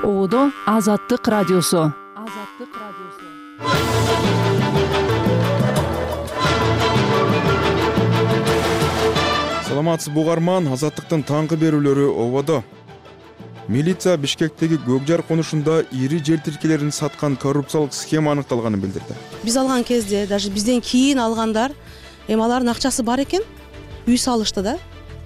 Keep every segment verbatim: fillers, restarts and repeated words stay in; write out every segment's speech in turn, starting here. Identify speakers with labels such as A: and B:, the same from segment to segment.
A: Оодо Азаттык радиосу. Азаттык радиосу.
B: Саламатсызбы угарман, Азаттыктын таңкы берүүлөрү ободо. Милиция Бишкектеги Көкжар конушунда ири жер тилкелерин саткан коррупциялык схема аныкталганын билдирди.
C: Биз алган кезде, даже бизден кийин алгандар, эми алардын акчасы бар экен, үй салышты да.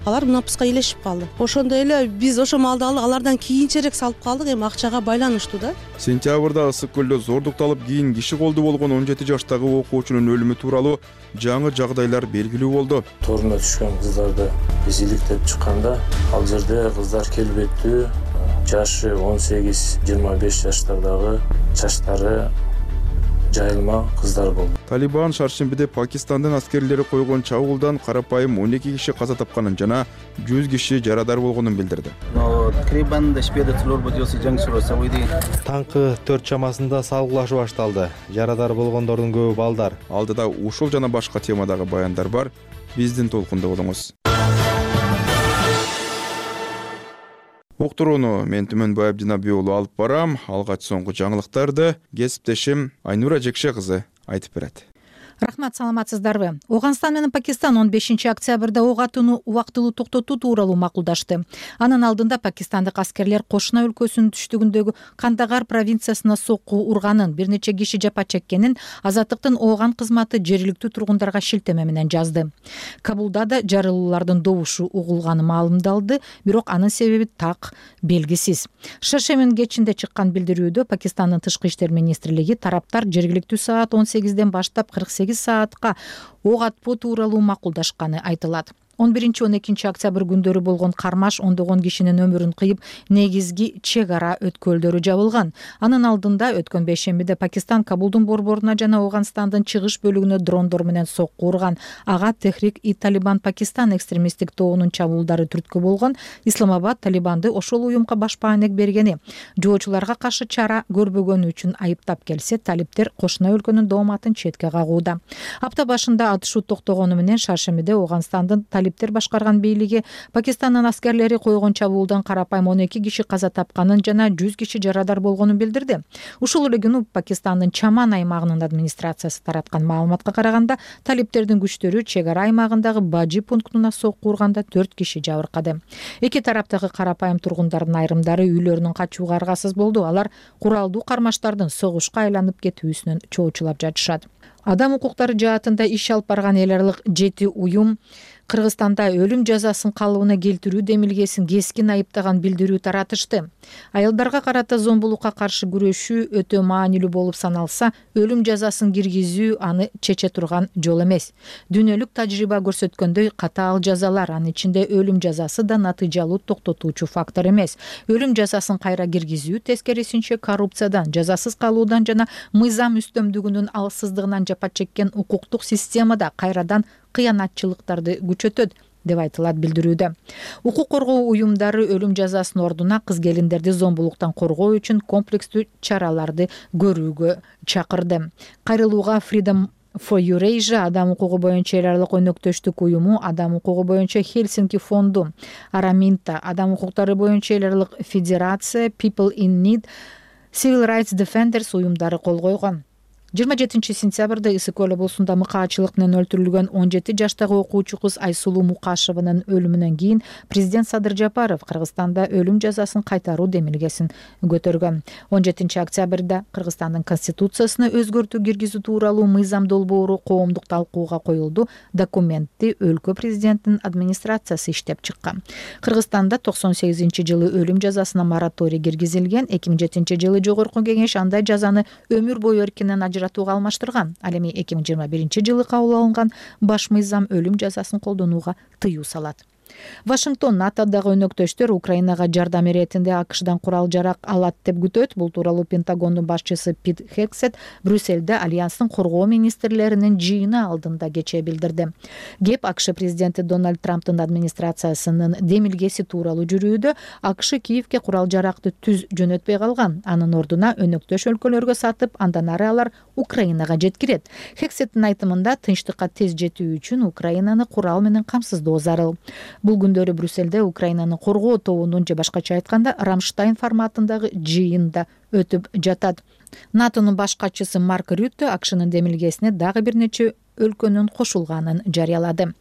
C: Алар мунапыска элешип калды. Ошондой эле биз ошо малды алардан кийинчерээк салып калдык, эми акчага байланыштуу да.
B: Сентябрда Ысык көлдө зордукталып кийин киши колду болгон он жети жаштагы окуучунун өлүмү тууралуу жаңы жагдайлар белгилүү болду.
D: Торуна түшкөн кыздарды биз иликтеп чыкканда, ал жерде кыздар келбеттүү, жашы он сегиз жыйырма беш жаштардагы, чачтары жайылма кыздар болду.
B: Талибан шаршембиде Пакистандын аскерлери койгон чабуулдан карапайым он эки киши каза тапканын жана жүз киши жарадар болгонун билдирди.
E: Таңкы төрт чамасында салгылашуу башталды. Жарадар болгондордун көбү балдар.
B: Алдыда ушул жана башка темадагы баяндар бар. Биздин толкунда болуңуз. Уктурууну мен Түмөнбай Абдинабий уулу алып барам. Алгач соңку жаңылыктарды кесиптешим Айнура Жекше кызы айтып берет.
F: Рахмат, саламатсыздарбы? Ооганстан менен Пакистан он бешинчи октябрда ок атууну убактылуу токтотуу тууралуу макулдашты. Анын алдында пакистандык аскерлер Кошуна өлкөсүнүн түштүгүндөгү Кандагар провинциясына сокку урганын, бир нече киши жапа чеккенин Азаттыктын Ооган кызматы жергиликтүү тургундарга шилтеме менен жазды. Кабулда да жарылуулардын добушу угулганы маалымдалды, бирок анын себеби так белгисиз. Шаршембинин кечинде чыккан билдирүүдө Пакистандын тышкы иштер министрлиги тараптар жергиликтүү саат он сегизден баштап кырк сегиз саатка ок атпоо тууралуу макулдашканы айтылат. он биринчи он экинчи октябрь күндөрү болгон кармаш ондогон кишинин өмүрүн кыйып, негизги чек ара өткөлдөрү жабылган. Анын алдында өткөн бейшембиде Пакистан Кабулдун борборуна жана Ооганстандын чыгыш бөлүгүнө дрондор менен сокку урган. Ага Техрик-и-Талибан Пакистан экстремисттик тобунун чабуулдары түрткү болгон. Исламабад Талибанды ошол уюмга баш баанек бергени, жоочуларга каршы чара көрбөгөнү үчүн айыптап келсе, талиптер Кошуна өлкөнүн дооматын четке кагууда. Апта башында атышуу токтогону менен шаршембиде Ооганстандын талиптер башкарган бийлиги Пакистандын аскерлери койгон чабуулдан карапайым он эки киши каза тапканын жана жүз киши жарадар болгонун билдирди. Ушул эле күнү Пакистандын Чаман аймагынын администрациясы тараткан маалыматка караганда, талиптердин күчтөрү чек ара аймагындагы Бажи пунктуна сокку урганда төрт киши жабыркады. Эки тараптагы карапайым тургундардын айрымдары үйлөрүнөн качууга аргасыз болду. Алар куралдуу кармаштардын согушка айланып кетүүсүнөн чоочулап жатышат. Адам укуктары жаатында иш алып барган эл аралык жети уюм Кыргызстанда өлүм жазасын калыбына келтирүү демилгесин кескин айыптаган билдирүү таратышты. Аялдарга карата зомбулукка каршы күрөшүү өтө маанилүү болуп саналса, өлүм жазасын киргизүү аны чече турган жол эмес. Дүйнөлүк тажрыйба көрсөткөндөй, катаал жазалар, анын ичинде өлүм жазасы да натыйжалуу токтотуучу фактор эмес. Өлүм жазасын кайра киргизүү тескерисинче коррупциядан, жазасыз калуудан жана мыйзам үстөмдүгүнүн алсыздыгынан жапа чеккен укуктук системада кайрадан кыянатчылыктарды күчөтөт деп айтылат билдирүүдө. Укук коргоо уюмдары өлүм жазасынын ордуна кыз-келиндерди зомбулуктан коргоо үчүн комплекстүү чараларды көрүүгө чакырды. Кайрылууга Freedom for Eurasia адам укугу боюнча эл аралык өнөктөштүк уюму, адам укугу боюнча Хельсинки фонду, Араминта, адам укуктары боюнча эл аралык федерация, People in Need, Civil Rights Defenders уюмдары кол койгон. жыйырма жетинчи сентябрда Ысык көл облусунда мыкаачылык менен өлтүрүлгөн он жети жаштагы окуучу кыз Айсулуу Мукашеванын өлүмүнөн кийин президент Садыр Жапаров Кыргызстанда өлүм жазасын кайтаруу демилгесин көтөргөн. он жетинчи октябрда Кыргызстандын конституциясына өзгөртүү киргизүү тууралуу мыйзам долбоору коомдук талкууга коюлду. Документти өлкө президентинин администрациясы иштеп чыккан. Кыргызстанда токсон сегизинчи жылы өлүм жазасына мораторий киргизилген. эки миң жетинчи жылы жогорку кеңеш андай жазаны өмүр бою эркинен ажыратууга алмаштырган. Ал эми эки миң жыйырма биринчи жылы кабыл алынган баш мыйзам өлүм жазасын колдонууга тыюу салат. Вашингтон НАТОдагы өнөктөштөр Украинага жардам иретинде АКШдан курал жарак алат деп күтөт. Бул тууралуу Пентагондун башчысы Пит Хексет Брюссельде альянстын коргоо министрлеринин жыйыны алдында кечээ билдирди. Кеп АКШ президенти Дональд Трамптын администрациясынын демилгеси тууралуу жүрүүдө АКШ Киевке курал жаракты түз жөнөтпөй калган. Анын ордуна өнөктөш өлкөлөргө сатып, андан ары алар Украинага жеткирет. Хексеттин айтымында тынчтыкка тез жетүү үчүн Украинаны курал менен камсыздоо зарыл. Бул күндөрү Брюссельде Украинаны коргоо тобунун же башкача айтканда Рамштайн форматындагы жыйында өтүп жатат. НАТОнун баш катчысы Марк Рютте АКШнын демилгесине дагы бир нече өлкөнүн кошулганын жарыялады.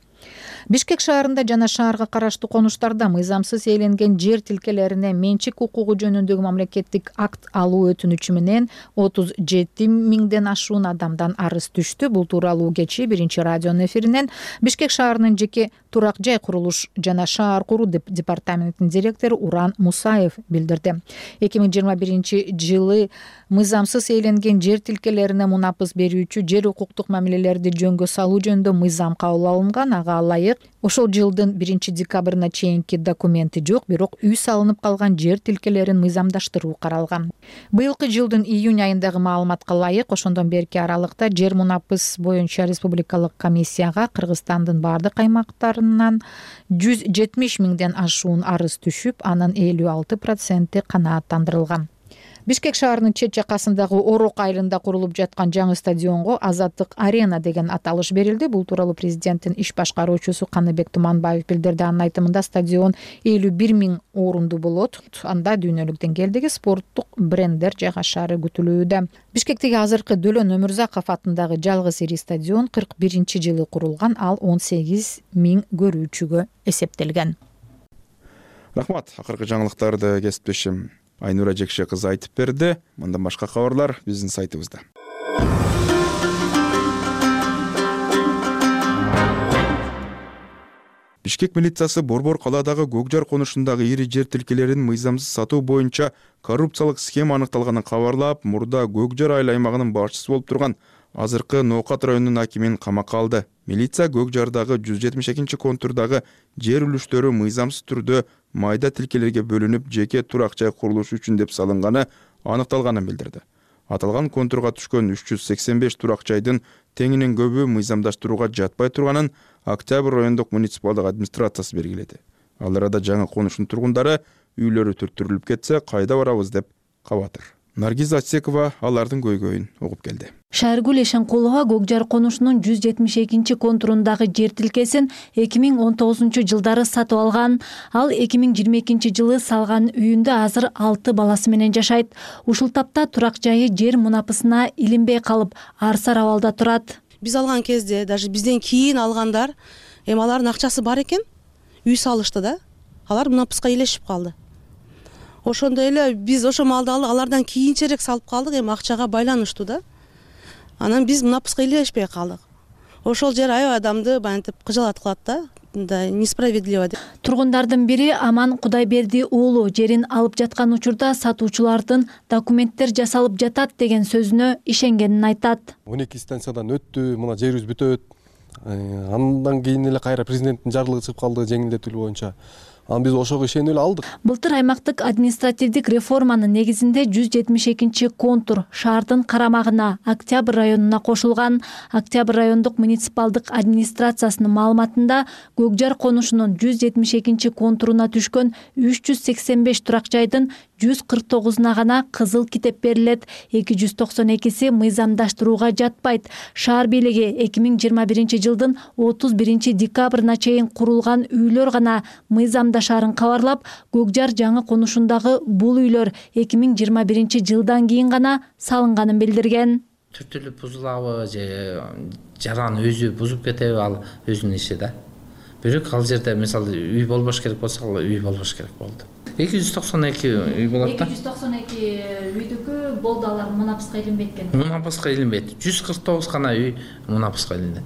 F: Бишкек шаарында жана шаарга караштуу конуштарда мыйзамсыз ээленген жер тилкелерине менчик укугу жөнүндөгү мамлекеттик акт алуу өтүнүчү менен отуз жети миңден ашуун адамдан арыз түштү. Бул тууралуу кечээ биринчи радионун эфиринен Бишкек шаарынын жеке турак жай курулуш жана шаар куруу департаментинин директору Уран Мусаев билдирди. эки миң жыйырма биринчи жылы мыйзамсыз ээленген жер тилкелерине мунапыс берүүчү жер укуктук мамилелерди жөнгө салуу жөнүндө мыйзам кабыл алынган. Ага ылайык ошол жылдын биринчи декабрына чейинки документи жок, бирок үй салынып калган жер тилкелерин мыйзамдаштыруу каралган. Быйылкы жылдын июнь айындагы маалыматка ылайык ошондон берки аралыкта жер мунапыс боюнча республикалык комиссияга Кыргызстандын бардык аймактарынан жүз жетимиш миңден ашуун арыз түшүп, анын элүү алты проценти канааттандырылган. Бишкек шаарынын чет жакасындагы Орок айылында курулуп жаткан жаңы стадионго Азаттык арена деген аталыш берилди. Бул тууралуу президенттин иш башкаруучусу Каныбек Туманбаев билдирди. Анын айтымында стадион элүү бир миң орунду болот. Анда дүйнөлүк деңгээлдеги спорттук бренддер жайгашаары күтүлүүдө. Бишкектеги азыркы Дөлөн Өмүрзаков атындагы жалгыз ири стадион кырк биринчи жылы курулган, ал он сегиз миң көрүүчүгө эсептелген.
B: Рахмат. Акыркы жаңылыктарды кесиптешим Айнура Жекше кызы айтып берди. Мындан башка кабарлар биздин сайтыбызда. Бишкек милициясы Борбор калаадагы Көкжар конушундагы ири жер тилкелерин мыйзамсыз сатуу боюнча коррупциялык схема аныкталганын кабарлап, мурда Көкжар айыл аймагынын башчысы болуп турган азыркы Ноокат районунун акимин камакка алды. Милиция Көкжардагы жүз жетимиш экинчи контурдагы жер үлүштөрү мыйзамсыз түрдө майда тилкелерге бөлүнүп, жеке турак жай курулушу үчүн деп салынганы аныкталганын билдирди. Аталган контурга түшкөн үч жүз сексен беш турак жайдын теңинен көбү мыйзамдаштырууга жатпай турганын Октябрь райондук муниципалдык администрациясы белгиледи. Ал арада жаңы конуштун тургундары үйлөрү түрттүрүлүп кетсе, кайда барабыз деп кабатыр. Наргиз Атсекова алардын көйгөйүн угуп келди.
G: Шааргүл Эшенкулова Көкжар конушунун жүз жетимиш экинчи контурундагы жер тилкесин эки миң он тогузунчу жылдары сатып алган. Ал эки миң жыйырма экинчи жылы салган үйүндө азыр алты баласы менен жашайт. Ушул тапта турак жайы жер мунапысына илинбей калып, арсар абалда турат.
C: Биз алган кезде даже бизден кийин алгандар, эми алардын акчасы бар экен, үй салышты да. Алар мунапыска илешип калды. Ошондой эле биз ошо малды алардан кийинчерээк салып калдык, эми акчага байланыштуу да. Анан биз мунапыска илешпей калдык. Ошол жер аябай адамды баянтип кыжалат кылат да, да несправедливо деп.
G: Тургундардын бири Аман Кудайберди уулу жерин алып жаткан учурда сатуучулардын документтер жасалып жатат деген сөзүнө ишенгенин айтат.
H: он эки станциядан өттү, мына жерибиз бүтөт. Андан кийин эле кайра президенттин жарлыгы чыгып калды жеңилдетүүлүү боюнча. Анан биз ошого ишенип эле алдык.
G: Былтыр аймактык административдик реформанын негизинде жүз жетимиш экинчи контур шаардын карамагына Октябрь районуна кошулган. Октябрь райондук муниципалдык администрациясынын маалыматында Көкжар конушунун жүз жетимиш экинчи контуруна түшкөн үч жүз сексен беш турак жайдын жүз кырк тогузуна гана кызыл китеп берилет. эки жүз токсон экиси мыйзамдаштырууга жатпайт. Шаар бийлиги эки миң жыйырма биринчи жылдын отуз биринчи декабрына чейин курулган үйлөр гана мыйзамдашарын кабарлап, Көкжар жаңы конушундагы бул үйлөр эки миң жыйырма биринчи жылдан кийин гана салынганын билдирген.
I: Түртүлүп бузулабы же жаран өзү бузуп кетеби, ал өзүнүн иши да. Бирок ал жерде мисалы үй болбош керек болсо, ал үй болбош керек болду. эки жүз токсон эки үй болот да.
G: эки жүз токсон эки үйдүкү болду, алар мунапыска илинбейт экен.
I: Мунапыска илинбейт. жүз кырк тогуз гана үй мунапыска илинет.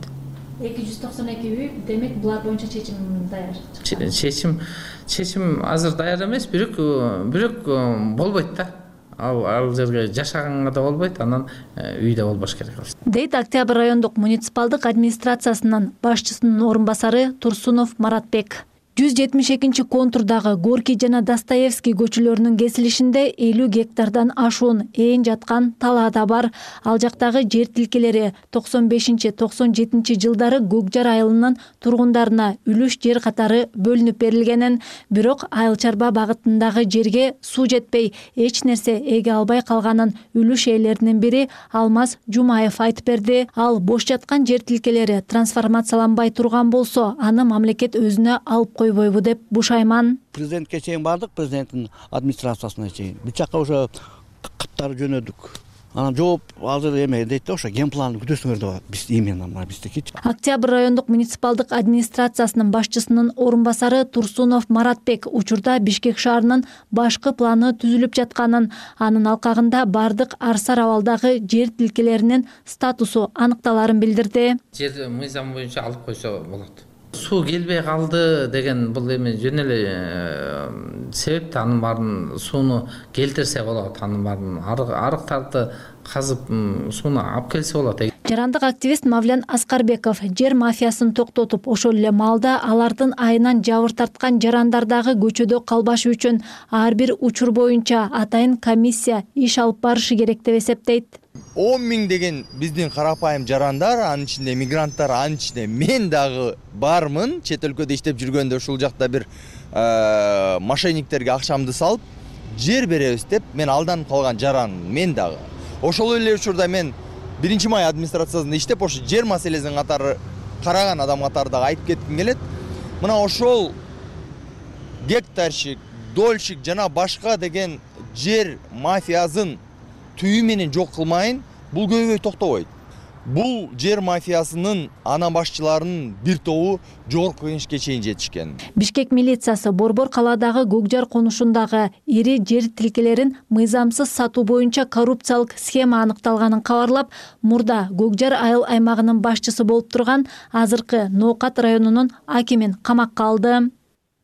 G: эки жүз токсон эки үй, демек булар боюнча чечим даяр.
I: Чечим чечим азыр даяр эмес, бирок бирок болбойт да. Ал ал жерге жашаганга да болбойт, анан үйдө болбош керек.
G: Дейт Октябрь райондук муниципалдык администрациясынын башчысынын орун басары Турсунов Маратбек. жүз жетимиш экинчи контурдагы Горький жана Достоевский көчөлөрүнүн кесилишинде элүү гектардан ашуун ээн жаткан талаада бар. Ал жактагы жер тилкелери токсон бешинчи токсон жетинчи жылдары Көкжар айылынын тургундарына үлүш жер катары бөлүнүп берилгенин, бирок айыл чарба багытындагы жерге суу жетпей, эч нерсе эге албай калганын үлүш ээлеринин бири Алмаз Жумаев айтып берди. Ал бош жаткан жер тилкелери трансформацияланбай турган болсо, аны мамлекет өзүнө алып коюу койбойбу деп бушайман.
J: Президентке чейин бардык, президенттин администрациясына чейин. Бул жака уже каттар жөнөдүк. Анан жооп азыр эме дейт да, ошо генпланды күтөсүңөр деп атат. Биз именно мына биздикичи.
G: Октябрь райондук муниципалдык администрациясынын башчысынын орун басары Турсунов Маратбек учурда Бишкек шаарынын башкы планы түзүлүп жатканын, анын алкагында бардык арсар абалдагы жер тилкелеринин статусу аныкталарын билдирди.
I: Жер мыйзам боюнча алып койсо болот. Суу келбей калды деген бул эми жөн эле себеп, анын баарын сууну келтирсе болот, анын баарын арыктарды казып сууну алып келсе болот.
G: Жарандык активист Мавлен Аскарбеков жер мафиясын токтотуп, ошол эле маалда алардын айынан жабыр тарткан жарандардагы көчөдө калбашы үчүн ар бир учур боюнча атайын комиссия иш алып барышы керек деп эсептейт.
K: он миң деген биздин карапайым жарандар, анын ичинде мигранттар, анын ичинде мен дагы бармын. Чет өлкөдө иштеп жүргөндө ушул жакта бир мошенниктерге акчамды салып, жер беребиз деп мен алданып калган жаран мен дагы. Ошол эле учурда мен биринчи май администрациясында иштеп, ошо жер маселесин катары караган адам катары дагы айтып кетким келет. Мына ошол гектарщик, дольщик жана башка деген жер мафиясын түйү менен жок кылмайын, бул көйгөй токтобойт. Бул жер мафиясынын ана башчыларынын бир тобу жогорку кеңешке чейин жетишкен.
G: Бишкек милициясы Борбор калаадагы Көкжар конушундагы ири жер тилкелерин мыйзамсыз сатуу боюнча коррупциялык схема аныкталганын кабарлап, мурда Көкжар айыл аймагынын башчысы болуп турган азыркы Ноокат районунун акимин камакка алды.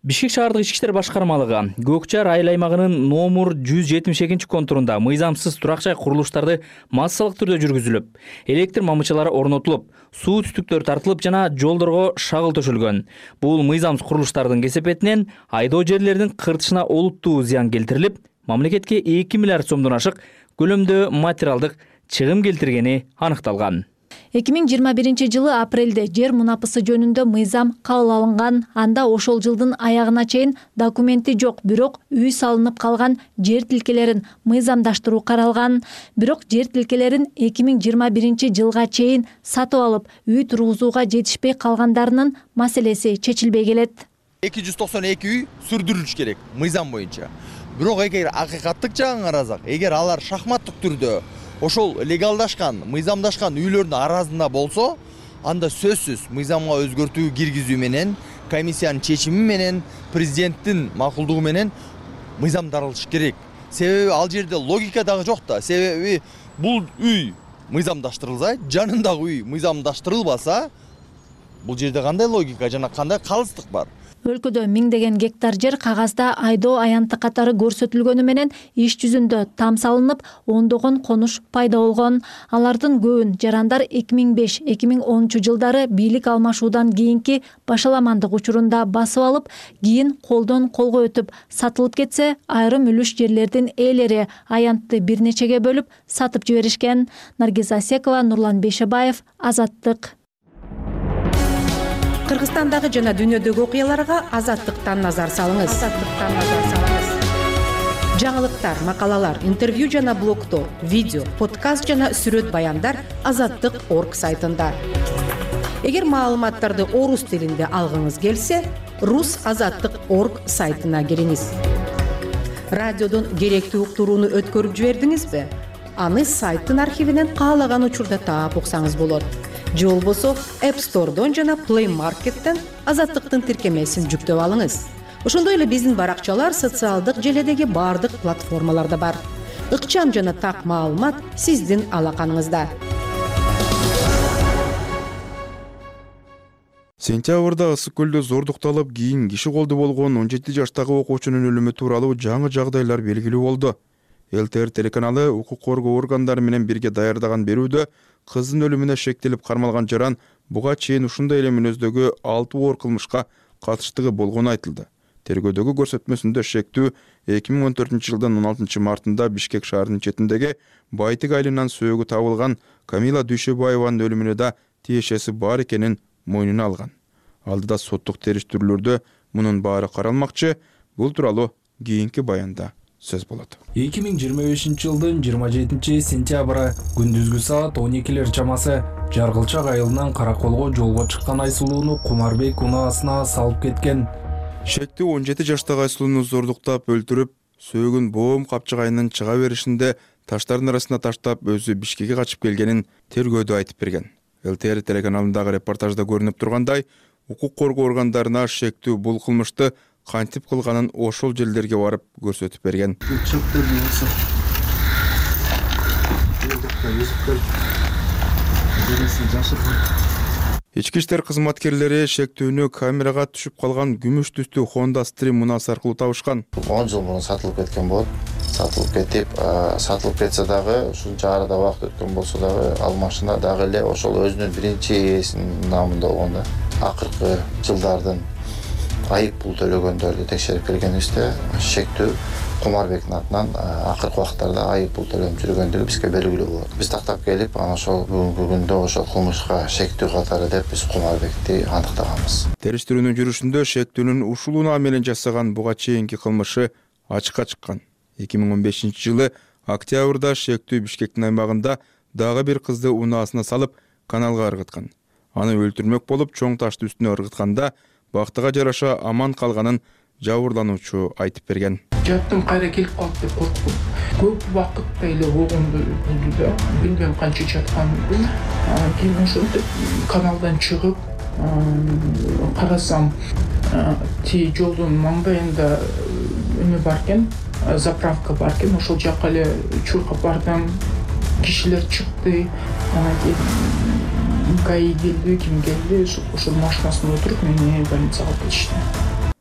L: Бишкек шаардык ички иштер башкармалыгы Көкжар айыл аймагынын номер жүз жетимиш экинчи контурунда мыйзамсыз турак жай курулуштарды массалык түрдө жүргүзүлүп, электр мамычалары орнотулуп, суу түтүктөр тартылып жана жолдорго шагыл төшөлгөн. Бул мыйзамсыз курулуштардын кесепетинен айдоо жерлердин кыртышына олуттуу зыян келтирилип, мамлекетке эки миллиард сомдон ашык көлөмдө материалдык чыгым келтиргени аныкталган.
G: эки миң жыйырма биринчи жылы апрелде жер мунапысы жөнүндө мыйзам кабыл алынган. Анда ошол жылдын аягына чейин документи жок, бирок үй салынып калган жер тилкелерин мыйзамдаштыруу каралган. Бирок жер тилкелерин эки миң жыйырма биринчи жылга чейин сатып алып, үй тургузууга жетишпей калгандарынын маселеси чечилбей келет.
K: эки жүз токсон эки үй сүрдүрүлүш керек мыйзам боюнча. Бирок эгер акыйкаттык жагын карасак, эгер алар шахматтык түрдө ошол легалдашкан, мыйзамдашкан үйлөрдүн аразында болсо, анда сөзсүз мыйзамга өзгөртүү киргизүү менен, комиссиянын чечими менен, президенттин макулдугу менен мыйзамдалыш керек. Себеби ал жерде логика дагы жок да. Себеби бул үй мыйзамдаштырылса, жанындагы үй мыйзамдаштырылбаса, бул жерде кандай логика жана кандай калыстык бар?
G: Өлкөдө миңдеген гектар жер кагазда айдоо аянты катары көрсөтүлгөнү менен иш жүзүндө там салынып, ондогон конуш пайда болгон. Алардын көбүн жарандар эки миң беш — эки миң онунчу жылдары бийлик алмашуудан кийинки башаламандык учурунда басып алып, кийин колдон колго өтүп сатылып кетсе, айрым үлүш жерлердин ээлери аянтты бир нечеге бөлүп сатып жиберишкен. Наргиз Асекова, Нурлан Бейшебаев, Азаттык.
M: Кыргызстандагы жана дүйнөдөгү окуяларга Азаттыктан назар салыңыз. Азаттыктан назар салыңыз. Жаңылыктар, макалалар, интервью жана блогтор, видео, подкаст жана сүрөт баяндар азаттык точка орг сайтында. Эгер маалыматтарды орус тилинде алгыңыз келсе, рус азаттык точка орг сайтына кириңиз. Радиодон керектүү уктурууну өткөрүп жибердиңизби? Аны сайттын архивинен каалаган учурда таап уксаңыз болот. Же болбосо App Store'дон жана Play Market'тен Азаттыктын тиркемесин жүктөп алыңыз. Ошондой эле биздин баракчалар социалдык желедеги бардык платформаларда бар. Ыкчам жана так маалымат сиздин алаканыңызда.
B: Сентябрда Ысык көлдө зордукталып, кийин киши колду болгон он жети жаштагы окуучунун өлүмү тууралуу жаңы жагдайлар белгилүү болду. ЛТР телеканалы укук коргоо органдары менен бирге даярдаган берүүдө кыздын өлүмүнө шектелип кармалган жаран буга чейин ушундай эле мүнөздөгү алты оор кылмышка катыштыгы болгону айтылды. Тергөөдөгү көрсөтмөсүндө шектүү эки миң он төртүнчү жылдын он алтынчы мартында Бишкек шаарынын четиндеги Байтык айылынан сөөгү табылган Камила Дүйшөбаеванын өлүмүнө да тиешеси бар экенин мойнуна алган. Алдыда соттук териштирүүлөрдө мунун баары каралмакчы. Бул тууралуу кийинки баянда сөз болот.
N: эки миң жыйырма бешинчи жылдын жыйырма жетинчи сентябры күндүзгү саат он экилер чамасы Жаргылчак айылынан Караколго жолго чыккан Айсулууну Кумарбек унаасына салып кеткен.
B: Шектүү он жети жаштагы Айсулууну зордуктап өлтүрүп, сөөгүн боом капчыгайынан чыга беришинде таштардын арасына таштап өзү Бишкекке качып келгенин тергөөдө айтып берген. ЛТР телеканалындагы репортажда көрүнүп тургандай, укук коргоо органдарына шектүү бул кылмышты кантип кылганын ошол жерлерге барып көрсөтүп берген. Ички иштер кызматкерлери шектүүнү камерага түшүп калган күмүш түстүү Honda Stream мунасы аркылуу табышкан.
O: он жыл мурун сатылып кеткен болот. Сатылып кетип, сатылып кетсе дагы, ушунча арада убакыт өткөн болсо дагы, ал машина дагы эле ошол өзүнүн биринчи ээсинин намында болгон да. Акыркы жылдардын айып пул төлөгөндөрдү текшерип келгенибизде, шектүү Кумарбектин атынан акыркы убакыттарда айып пул төлөнүп жүргөндүгү бизге белгилүү болот. Биз тактап келип, анан ошол бүгүнкү күндө ошол кылмышка шектүү катары деп биз Кумарбекти аныктаганбыз.
B: Териштирүүнүн жүрүшүндө шектүүнүн ушулууна менен жасаган буга чейинки кылмышы ачыкка чыккан. эки миң он бешинчи жылы октябрда шектүү Бишкектин аймагында дагы бир кызды унаасына салып каналга ыргыткан. Аны өлтүрмөк болуп, чоң ташты үстүнө ыргытканда бактыга жараша аман калганын жабырлануучу айтып берген.
P: Жаттым, кайра келип калат деп корктум. Көп убакытта эле болгондой болду да. Билбейм канча жатканымды. Кийин ошентип каналдан чыгып, карасам, ти жолдун маңдайында эме бар экен, заправка бар экен. Ошол жакка эле чуркап бардым. Кишилер чыкты. Анан кийин ГАИ келди, ким келди, ошол машинасына отуруп мени больницага алып кетишти.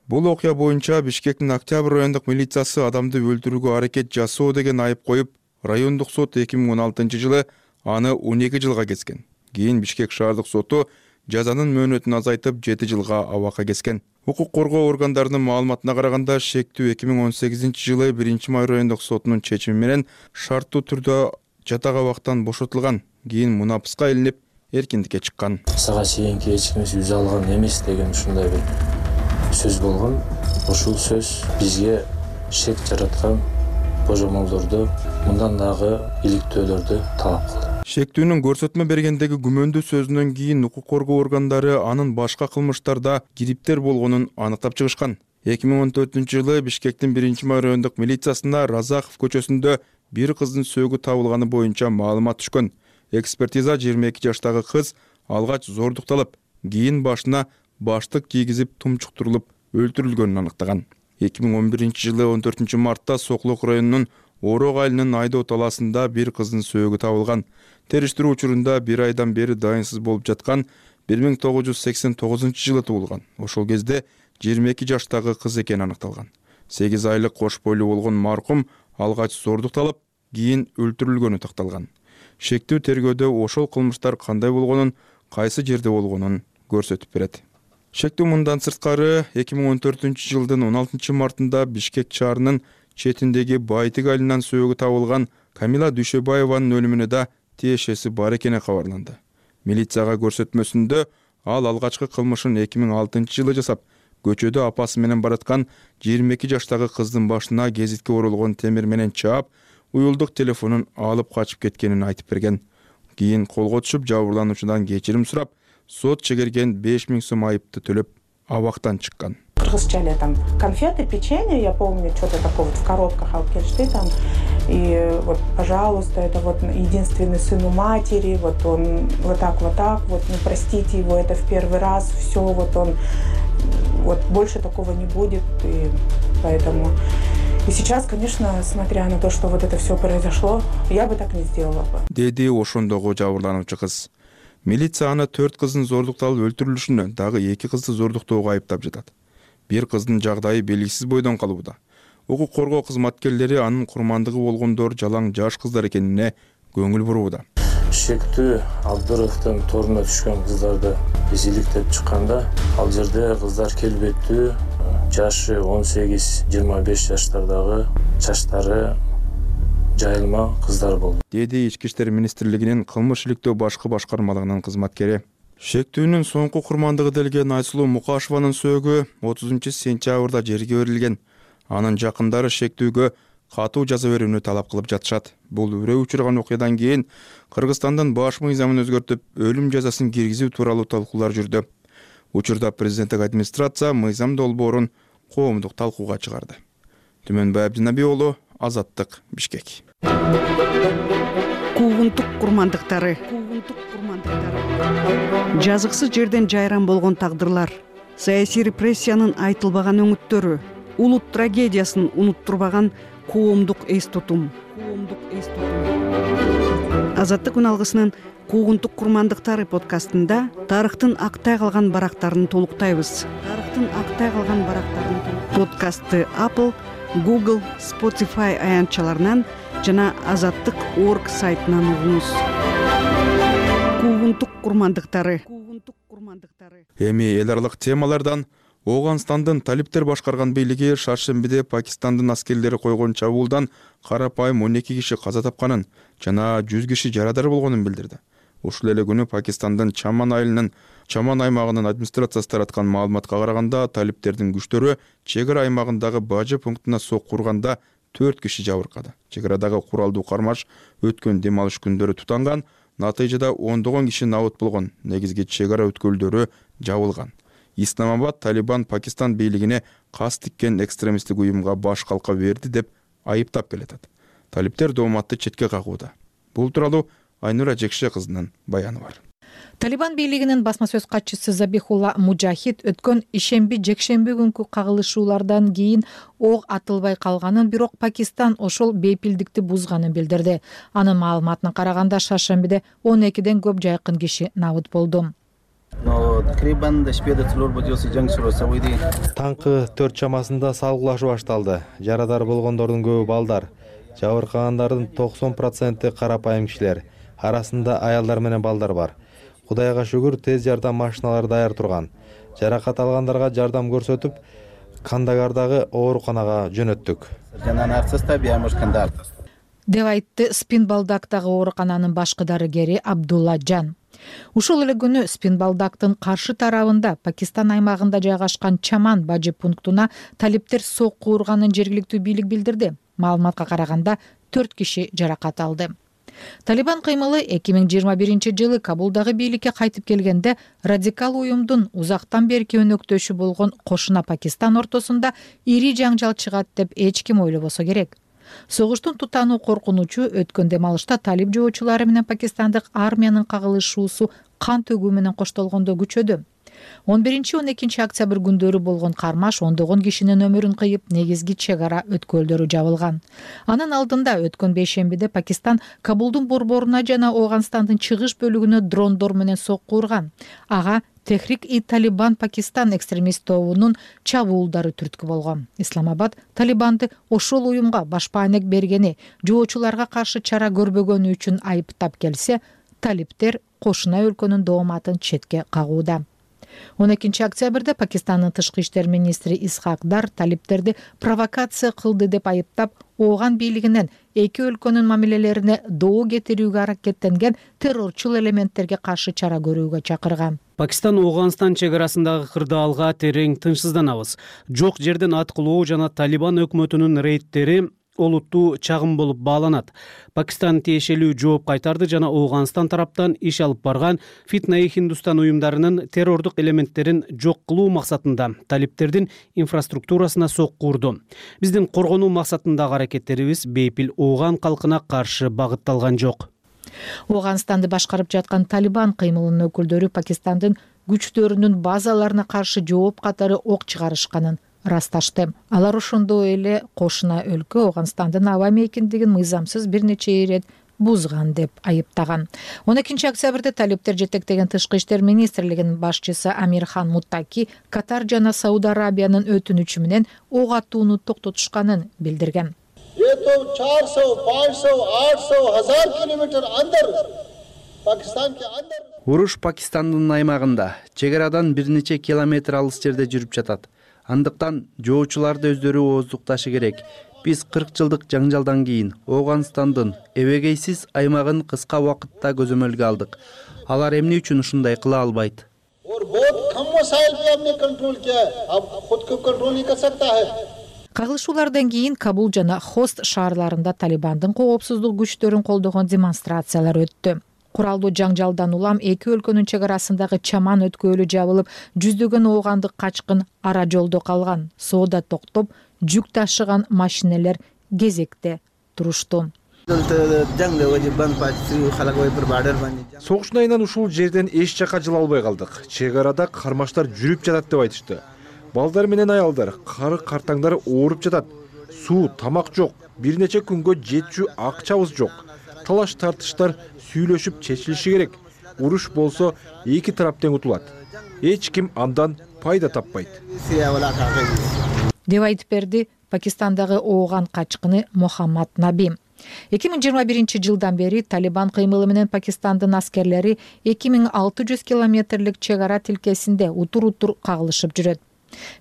B: Бул окуя боюнча Бишкектин Октябрь райондук милициясы адамды өлтүрүүгө аракет жасоо деген айып коюп, райондук сот эки миң он алтынчы жылы аны он эки жылга кескен. Кийин Бишкек шаардык соту жазанын мөөнөтүн азайтып жети жылга абакка кескен. Укук коргоо органдарынын маалыматына караганда, шектүү эки миң он сегизинчи жылы биринчи май райондук сотунун чечими менен шарттуу түрдө жатак абактан бошотулган. Кийин мунапыска илинип, эркиндикке чыккан.
D: Сага чейинки эч кимибиз үз алган эмес деген ушундай бир сөз болгон. Ушул сөз бизге шек жараткан божомолдорду, мындан дагы иликтөөлөрдү талап кылды.
B: Шектүүнүн көрсөтмө бергендеги күмөндүү сөзүнөн кийин укук коргоо органдары анын башка кылмыштарда кириптер болгонун аныктап чыгышкан. эки миң он төртүнчү жылы Бишкектин биринчи май райондук милициясына Разахов көчөсүндө бир кыздын сөөгү табылганы боюнча маалымат түшкөн. Экспертиза жыйырма эки жаштагы кыз алгач зордукталып, кийин башына баштык кийгизип тумчуктурулуп өлтүрүлгөнүн аныктаган. эки миң он биринчи жылы он төртүнчү мартта Соклок районунун Орок айылынын Айдоо талаасында бир кыздын сөөгү табылган. Териштирүү учурунда бир айдан бери дайынсыз болуп жаткан, бир миң тогуз жүз сексен тогузунчу жылы туулган. Ошол кезде жыйырма эки жаштагы кыз экени аныкталган. сегиз айлык кош бойлуу болгон маркум алгач зордукталып, кийин өлтүрүлгөнү такталган. Шектүү тергөөдө ошол кылмыштар кандай болгонун, кайсы жерде болгонун көрсөтүп берет. Шектүү мындан сырткары эки миң он төртүнчү жылдын он алтынчы мартында Бишкек шаарынын четиндеги Байтык айылынан сөөгү табылган Камила Дүйшөбаеванын өлүмүнө да тиешеси бар экени кабарланды. Милицияга көрсөтмөсүндө ал алгачкы кылмышын эки миң алтынчы жылы жасап, көчөдө апасы менен бараткан жыйырма эки жаштагы кыздын башына гезитке оролгон темир менен чаап, уюлдук телефонун алып качып кеткенин айтып берген. Кийин колго түшүп, жабырлануучудан кечирим сурап, сот чегерген беш миң сом айыпты төлөп, абактан чыккан.
Q: Кыргызча там конфеты, печенье, я помню, что-то такое вот в коробках алкешты там. И вот, пожалуйста, это вот единственный сын у матери, вот он вот так, вот так, вот, ну простите его, это в первый раз, все, вот он, вот больше такого не будет, и поэтому... И сейчас, конечно, смотря на то, что вот это все произошло, я бы так не сделала бы.
B: Деди ошондогу жабырлануучу кыз. Милиция аны төрт кыздын зордукталып өлтүрүлүшүнө, дагы эки кызды зордуктоого айыптап жатат. Бир кыздын жагдайы белгисиз бойдон калууда. Укук коргоо кызматкерлери анын курмандыгы болгондор жалаң жаш кыздар экенине көңүл бурууда.
D: Шектүү Абдыровдун торуна түшкөн кыздарды биз иликтеп чыкканда, ал жерде кыздар келбеттүү, жашы он сегиз жыйырма беш жаштардагы, чачтары жайылма кыздар болду.
B: Деди Ички иштер министрлигинин кылмыш иликтөө башкы башкармалыгынын кызматкери. Шектүүнүн соңку курмандыгы делген Айсулуу Мукашеванын сөөгү отузунчу сентябрда жерге берилген. Анын жакындары шектүүгө катуу жаза берүүнү талап кылып жатышат. Бул үрөө учурган окуядан кийин Кыргызстандын баш мыйзамын өзгөртүп, өлүм жазасын киргизүү тууралуу талкуулар жүрдү. Учурда президенттик администрация мыйзам долбоорун коомдук талкууга чыгарды. Түмөнбай Абдинаби уулу, Азаттык, Бишкек.
R: Куугунтук курмандыктары. Куугунтук курмандыктары. Жазыксыз жерден жайран болгон тагдырлар, саясий репрессиянын айтылбаган өңүттөрү, улут трагедиясын унуттурбаган коомдук эс тутум. Коомдук эс тутум. Азаттык үн алгысынын Куугунтук курмандыктары подкастында тарыхтын актай калган барактарын толуктайбыз. Тарыхтын актай калган барактарын подкастты Apple, Google, Spotify аянтчаларынан жана азаттык точка орг сайтынан угуңуз. Куугунтук курмандыктары. Куугунтук курмандыктары.
B: Эми эл аралык темалардан Ооганстандын талиптер башкарган бийлиги шаршембиде Пакистандын аскерлери койгон чабуулдан карапайым он эки киши каза тапканын жана жүз киши жарадар болгонун билдирди. Ушул эле күнү Пакистандын Чаман айылынын Чаман аймагынын администрациясы тараткан маалыматка караганда, талиптердин күчтөрү чек ара аймагындагы бажы пунктуна сок курганда төрт киши жабыркады. Чек арадагы куралдуу кармаш өткөн дем алыш күндөрү тутанган, натыйжада ондогон киши набыт болгон, негизги чек ара өткөлдөрү жабылган. Исламабад Талибан Пакистан бийлигине кас тиккен экстремисттик уюмга баш калка берди деп айыптап келатат. Талиптер дооматты четке кагууда. Бул тууралуу Айнура Жекше кызынын баяны бар.
F: Талибан бийлигинин басма сөз катчысы Забихулла Мужахид өткөн ишемби жекшемби күнкү кагылышуулардан кийин ок атылбай калганын, бирок Пакистан ошол бейпилдикти бузганын билдирди. Анын маалыматына караганда шаршембиде он экиден көп жайкын киши набыт болду.
E: Таңкы төрт чамасында салгылашуу башталды. Жарадар болгондордун көбү балдар. Жабыркагандардын токсон проценти карапайым кишилер. Арасында аялдар менен балдар бар. Кудайга шүгүр, тез жардам машиналары даяр турган. Жаракат алгандарга жардам көрсөтүп, Кандагардагы ооруканага жөнөттүк.
F: Деп айтты Спинбалдактагы оорукананын башкы дарыгери Абдулла Жан. Ушул эле күнү Спинбалдактын каршы тарабында Пакистан аймагында жайгашкан Чаман бажы пунктуна талиптер сок куурганын жергиликтүү бийлик билдирди. Маалыматка караганда төрт киши жаракат алды. Талибан кыймылы эки миң жыйырма биринчи жылы Кабулдагы бийликке кайтып келгенде радикал уюмдун узактан берки өнөктөшү болгон кошуна Пакистан ортосунда ири жаңжал чыгат деп эч ким ойлобосо керек. Согуштун тутануу коркунучу өткөн дем алышта талип жоочулары менен пакистандык армиянын кагылышуусу кан төгүү менен коштолгондо күчөдү. он биринчи он экинчи октябрь күндөрү болгон кармаш ондогон кишинин өмүрүн кыйып, негизги чек ара өткөлдөрү жабылган. Анын алдында өткөн бейшембиде Пакистан Кабулдун борборуна жана Ооганстандын чыгыш бөлүгүнө дрондор менен сок куурган. Ага Техрик-и-Талибан Пакистан экстремист тобунун чабуулдары түрткү болгон. Исламабад Талибанды ошол уюмга башпаанек бергени, жоочуларга каршы чара көрбөгөнү үчүн айыптап келсе, талиптер кошуна өлкөнүн дооматын четке кагууда. он экинчи октябрда Пакистандын тышкы иштер министри Исхак Дар талиптерди провокация кылды деп айыптап, Ооган бийлигинен эки өлкөнүн мамилелерине доо кетирүүгө аракеттенген террорчул элементтерге каршы чара көрүүгө чакырган.
S: Пакистан Ооганстан чек арасындагы кырдаалга терең тынчсызданабыз. Жок жерден аткылоо жана Талибан өкмөтүнүн рейдтери олуттуу чагым болуп бааланат. Пакистан тиешелүү жооп кайтарды жана Ооганстан тараптан иш алып барган Фитна-и Хиндустан уюмдарынын террордук элементтерин жок кылуу максатында талиптердин инфраструктурасына сок куурду. Биздин коргонуу максатындагы аракеттерибиз бейпил Ооган калкына каршы багытталган жок.
F: Ооганстанды башкарып жаткан Талибан кыймылынын өкүлдөрү Пакистандын күчтөрүнүн базаларына каршы жооп катары ок чыгарышканын расташты. Алар ошондой эле кошуна өлкө Ооганстандын аба мейкиндигин мыйзамсыз бир нече ирет бузган деп айыптаган. он экинчи октябрда талиптер жетектеген тышкы иштер министрлигинин башчысы Амирхан Муттаки Катар жана Сауд Арабиянын өтүнүчү менен ок атууну токтотушканын билдирген.
T: Уруш Пакистандын аймагында, чек арадан бир нече километр алыс жерде жүрүп жатат. Андыктан жоочуларды өздөрү ооздукташы керек. Биз кырк жылдык жаңжалдан кийин Ооганстандын эбегейсиз аймагын кыска убакытта көзөмөлгө алдык. Алар эмне үчүн ушундай кыла албайт?
F: Кагылышуулардан кийин Кабул жана Хост шаарларында Талибандын коопсуздук күчтөрүн колдогон демонстрациялар өттү. Куралдуу жаңжалдан улам эки өлкөнүн чек арасындагы чаман өткөлү жабылып, жүздөгөн оогандык качкын ара жолдо калган. Соода токтоп, жүк ташыган машинелер кезекте турушту.
U: Согуштун айынан ушул жерден эч жака жыла албай калдык. Чек арада кармаштар жүрүп жатат деп айтышты. Балдар менен аялдар, кары картаңдар ооруп жатат. Суу, тамак жок. Бир нече күнгө жетчү акчабыз жок. Талаш тартыштар сүйлөшүп чечилиши керек. Уруш болсо эки тарап тең утулат. Эч ким андан пайда таппайт.
F: Деп айтып берди Пакистандагы ооган качкыны Мухаммад Наби. эки миң жыйырма биринчи жылдан бери Талибан кыймылы менен Пакистандын аскерлери эки миң алты жүз километрлик чек ара тилкесинде утур-утур кагылышып жүрөт.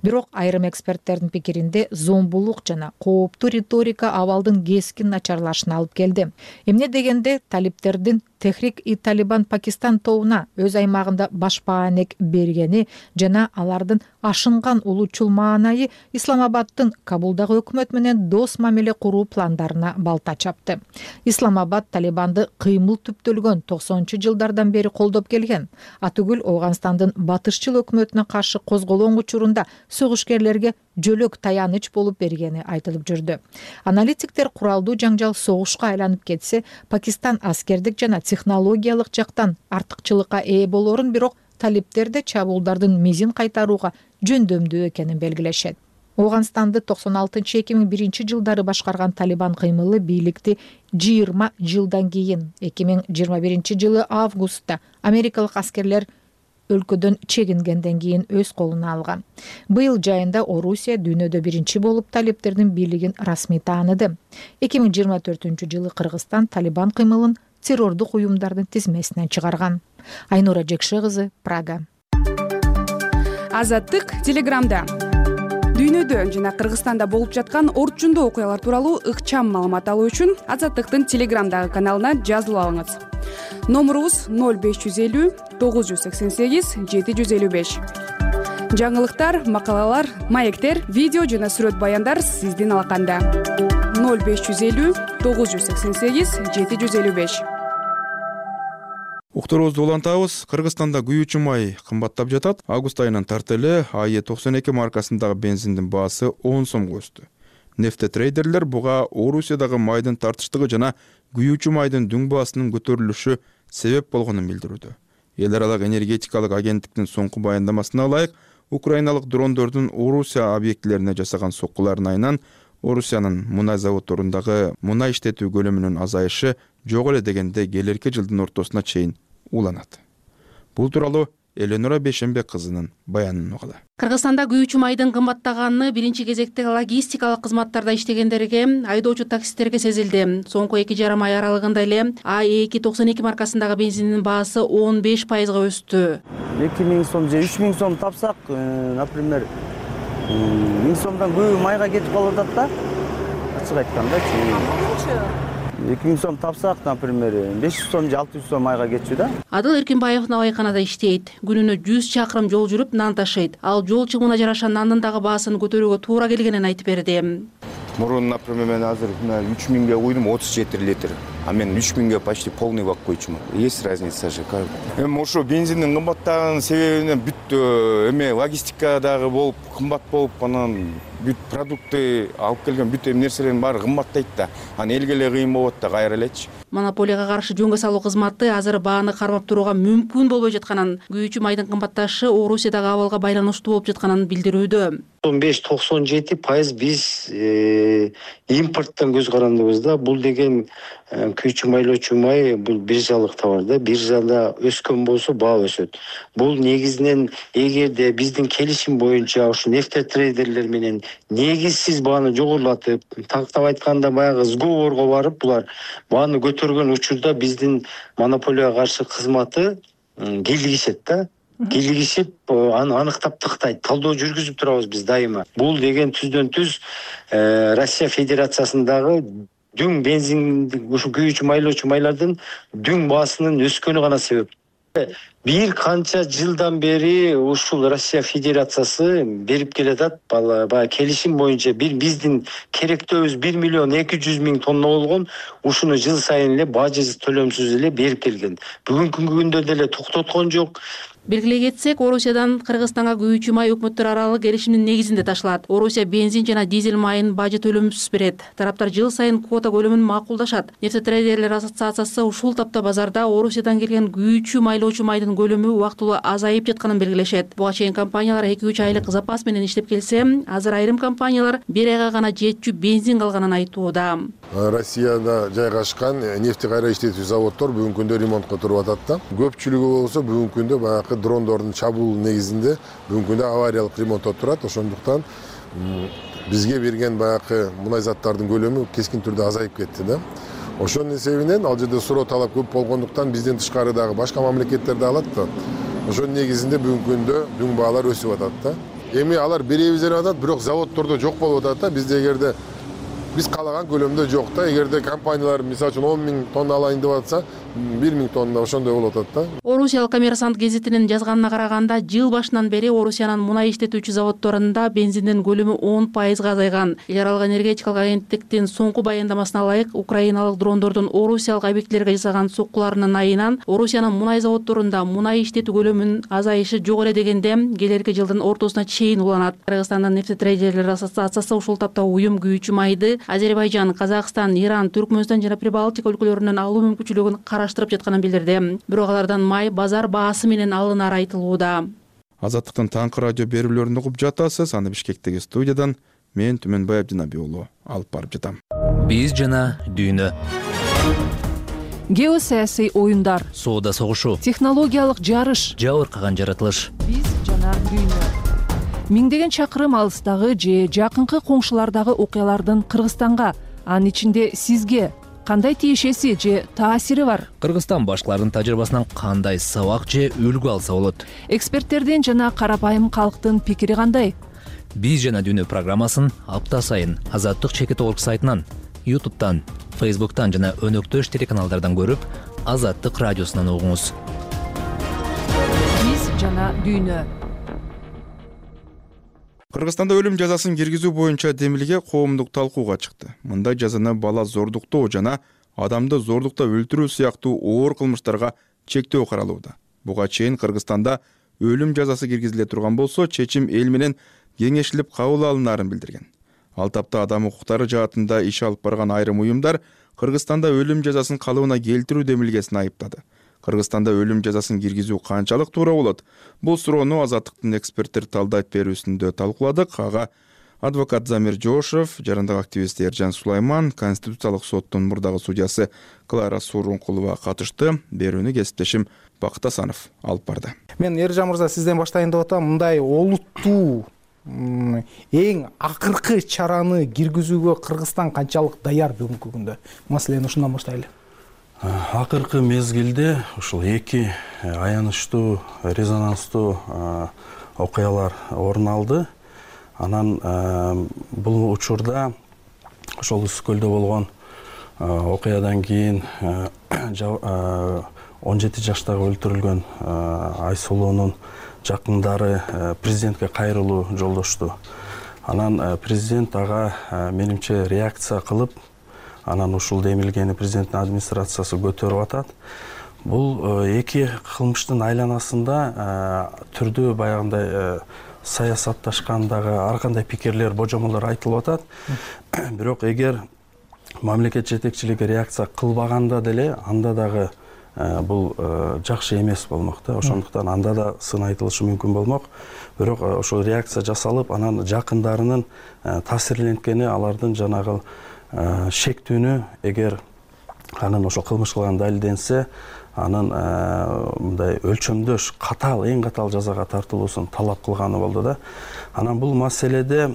F: Бирок айрым эксперттердин пикиринде зомбулук жана кооптуу риторика абалдын кескин начарлашына алып келди. Эмне дегенде талиптердин Техрик-и-Талибан Пакистан тобуна өз аймагында башпаанек бергени жана алардын ашынган улуучул маанайы Исламабаддын Кабулдагы өкмөт менен дос мамиле куруу пландарына балта чапты. Исламабад Талибанды кыймыл түптөлгөн токсонунчу жылдардан бери колдоп келген. Атүгүл Ооганстандын батышчыл өкмөтүнө каршы козголгон учурунда согушкерлерге жөлөк таяныч болуп бергени айтылып жүрдү. Аналитиктер куралдуу жаңжал согушка айланып кетсе, Пакистан аскердик жана технологиялык жактан артыкчылыкка ээ болорун, бирок талиптерде чабуулдардын мизин кайтарууга жөндөмдүү экенин белгилешет. Ооганстанды токсон алтынчы эки миң биринчи жылдары башкарган Талибан кыймылы бийликти жыйырма жылдан кийин эки миң жыйырма биринчи жылы августта америкалык аскерлер өлкөдөн чегингенден кийин өз колуна алган. Быйыл жайында Орусия дүйнөдө биринчи болуп талиптердин бийлигин расмий тааныды. эки миң жыйырма төртүнчү жылы Кыргызстан Талибан кыймылын террордук уюмдардын тизмесинен чыгарган. Айнура Жекше кызы, Прага.
V: Азаттык Телеграмда. Дүйнөдө жана Кыргызстанда болуп жаткан орчундуу окуялар тууралуу ыкчам маалымат алуу үчүн Азаттыктын Телеграмдагы каналына жазылып алыңыз. Номурубуз ноль беш жүз элүү тогуз жүз сексен сегиз жети жүз элүү беш. Жаңылыктар, макалалар, маектер, видео жана сүрөт баяндар сиздин алаканда. ноль беш жүз элүү тогуз жүз сексен сегиз жети жүз элүү беш.
B: Уктуруубузду улантабыз. Кыргызстанда күйүүчү май кымбаттап жатат. Август айынан тартылы А Е токсон эки маркасындагы бензиндин баасы он сомго өстү. Нефтетрейдерлер буга Орусиядагы майдын тартыштыгы жана күйүүчү майдын дүң баасынын көтөрүлүшү себеп болгонун билдирүүдө. Эл аралык энергетикалык агенттиктин соңку баяндамасына ылайык, украиналык дрондордун Орусия объектилерине жасаган соккуларынын айынан Орусиянын мунай заводдорундагы мунай иштетүү көлөмүнүн азайышы жок эле дегенде келерки жылдын ортосуна чейин уланат. Бул тууралуу Эленора Бешенбек кызынын баянын угалы.
W: Кыргызстанда күйүүчү майдын кымбаттаганы биринчи кезекте логистикалык кызматтарда иштегендерге, айдоочу таксисттерге сезилди. Соңку эки жарым ай аралыгында эле А эки токсон эки маркасындагы бензиндин баасы он беш пайызга өстү.
X: эки миң сом же үч миң сом тапсак, например, миң сомдон күйүү майга кетип калып атат да. Ачык айтканда, эки миң сом тапсак, например, беш жүз сом же алты жүз сом майга кетчү да.
W: Адыл Эркинбаев набайканада иштейт. Күнүнө жүз чакырым жол жүрүп нан ташыйт. Ал жол чыгымына жараша нандын дагы баасын көтөрүүгө туура келгенин айтып берди.
Y: Мурун, например, мен азыр үч миңге куйдум, отуз жети литр. А мен үч миңге почти полный бак койчумун. Есть разница же. Эми ошо бензиндин кымбаттаган себебинен бүт эме логистикадагы болуп кымбат болуп, анан бүт продукты алып келген бүт эм нерселердин баары кымбаттайт да. Анан элге эле кыйын болот да, кайра элечи.
W: Монополияга каршы жөнгө салуу кызматы азыр бааны кармап турууга мүмкүн болбой жатканын, күйүүчү майдын кымбатташы Орусиядагы абалга байланыштуу болуп жатканын билдирүүдө.
Z: токсон беш токсон жети пайыз биз импорттон көз карандыбыз да. Бул деген күйүүчү майлоочу май, бул биржалык товар да. Биржада өскөн болсо баа өсөт. Бул негизинен эгерде биздин келишим боюнча ушу нефтетрейдерлер менен негизсиз бааны жогорулатып, тактап айтканда баягы сговорго барып, булар бааны көтөргөн учурда биздин монополияга каршы кызматы килигишет да. Килигишип, аны аныктап тактайт. Талдоо жүргүзүп турабыз биз дайыма. Бул деген түздөн түз Россия Федерациясындагы дүң бензин, ушу күйүүчү майлоочу майлардын дүң баасынын өскөнү гана себеп. бир канча жылдан бери ушул Россия Федерациясы берип келатат. Баягы келишим боюнча бир биздин керектөөбүз бир миллион эки жүз миң тонна болгон. Ушуну жыл сайын эле бажысыз төлөмсүз эле берип келген. Бүгүнкү күндө деле токтоткон жок.
W: Белгилей кетсек, Орусиядан Кыргызстанга күйүүчү май өкмөттөр аралык келишимдин негизинде ташылат. Орусия бензин жана дизель майын бажы төлөмсүз берет. Тараптар жыл сайын квота көлөмүн макулдашат. Нефтетрейдерлер ассоциациясы ушул тапта базарда Орусиядан келген күйүүчү майлоочу майдын көлөмү убактылуу азайып жатканын белгилешет. Буга чейин компаниялар эки үч айлык запас менен иштеп келсе, азыр айрым компаниялар бир айга гана жетчү бензин калганын айтууда.
A: Россияда жайгашкан нефти кайра иштетүү заводдор бүгүнкү күндө ремонтко туруп атат да. Көпчүлүгү болсо бүгүнкү күндө баягы дрондордун чабуул негизинде бүгүнкү күндө авариялык ремонтто турат. Ошондуктан бизге берген баягы мунай заттардын көлөмү кескин түрдө азайып кетти да. Ошонун эсебинен ал жерде суроо талап көп болгондуктан бизден тышкары дагы башка мамлекеттер да алат да. Ошонун негизинде бүгүнкү күндө дүң баалар өсүп атат да. Эми алар беребиз деп атат, бирок заводдордо жок болуп атат да. Бизде эгерде биз каалаган көлөмдө жок да. Эгерде компаниялар мисалы үчүн он миң тонна алайын деп атса, бир миң тонна ошондой болуп атат да.
W: Орусиялык Коммерсант гезитинин жазганына караганда, жыл башынан бери Орусиянын мунай иштетүүчү заводдорунда бензиндин көлөмү он пайызга азайган. Эл аралык энергетикалык агенттиктин соңку баяндамасына ылайык, украиналык дрондордун Орусиялык объектилерге жасаган соккуларынын айынан Орусиянын мунай заводдорунда мунай иштетүү көлөмүнүн азайышы жок эле дегенде, келерки жылдын ортосуна чейин уланат. Кыргызстандын нефтетрейдерлер ассоциациясы ушул тапта уюм күйүүчү майды Азербайжан, Казакстан, Иран, Түркмөнстан жана Прибалтика өлкөлөрүнөн алуу мүмкүнчүлүгүн караштырып жатканын билдирди. Бирок алардан май базар баасы менен алынары айтылууда.
B: Азаттыктын таңкы радио берүүлөрүн угуп жатасыз. Аны Бишкектеги студиядан мен Түмөнбай Абдинабий уулу алып барып жатам.
C: Биз жана дүйнө.
H: Геосаясий оюндар,
C: соода согушу,
H: технологиялык жарыш,
C: жабыркаган жаратылыш.
H: Биз жана дүйнө. Миңдеген чакырым алыстагы же жакынкы коңшулардагы окуялардын Кыргызстанга, анын ичинде сизге кандай тиешеси же таасири бар?
C: Кыргызстан башкалардын тажрыйбасынан кандай сабак же үлгү алса болот?
H: Эксперттердин жана карапайым калктын пикири кандай?
C: Биз жана дүйнө программасын апта сайын Азаттык чекит орг сайтынан, ютубтан, фейсбуктан жана өнөктөш телеканалдардан көрүп, Азаттык радиосунан угуңуз.
H: Биз жана дүйнө.
B: Кыргызстанда өлүм жазасын киргизүү боюнча демилге коомдук талкууга чыкты. Мындай жазаны бала зордуктоо жана адамды зордуктап өлтүрүү сыяктуу оор кылмыштарга чектөө каралууда. Буга чейин Кыргызстанда өлүм жазасы киргизиле турган болсо, чечим эл менен кеңешилип кабыл алынаарын билдирген. Ал тапта адам укуктары жаатында иш алып барган айрым уюмдар Кыргызстанда өлүм жазасын калыбына келтирүү демилгесин айыптады. Кыргызстанда өлүм жазасын киргизүү канчалык туура болот? Бул суроону Азаттыктын эксперттер талдайт берүүсүндө талкууладык. Ага адвокат Замир Жошев, жарандык активист Эржан Сулайман, Конституциялык соттун мурдагы судьясы Клара Сурункулова катышты. Берүүнү кесиптешим Бакыт Асанов алып барды.
I: Мен Эржан мырза сизден баштайын деп атам. Мындай олуттуу эң акыркы чараны киргизүүгө Кыргызстан канчалык даяр бүгүнкү күндө? Маселени ушундан баштайлы.
J: Акыркы мезгилде ушул эки аянычтуу, резонанстуу окуялар орун алды. Анан бул учурда ошол Ысык көлдө болгон окуядан кийин он жети жаштагы өлтүрүлгөн Айсулуунун жакындары президентке кайрылуу жолдошту. Анан президент ага менимче реакция кылып, анан ушул демилгени президенттин администрациясы көтөрүп атат. Бул эки кылмыштын айланасында түрдүү баягындай саясатташкандагы ар кандай пикирлер, божомолдор айтылып атат. Бирок эгер мамлекет жетекчилиги реакция кылбаганда деле, анда дагы бул жакшы эмес болмок да. Ошондуктан анда да сын айтылышы мүмкүн болмок. Бирок ошол реакция жасалып, анан жакындарынын таасирленткени, алардын жанагы шектүүнү эгер анын ошол кылмыш кылган далилденсе, анын мындай өлчөмдөш катаал, эң катаал жазага тартылуусун талап кылганы болду да. Анан бул маселеде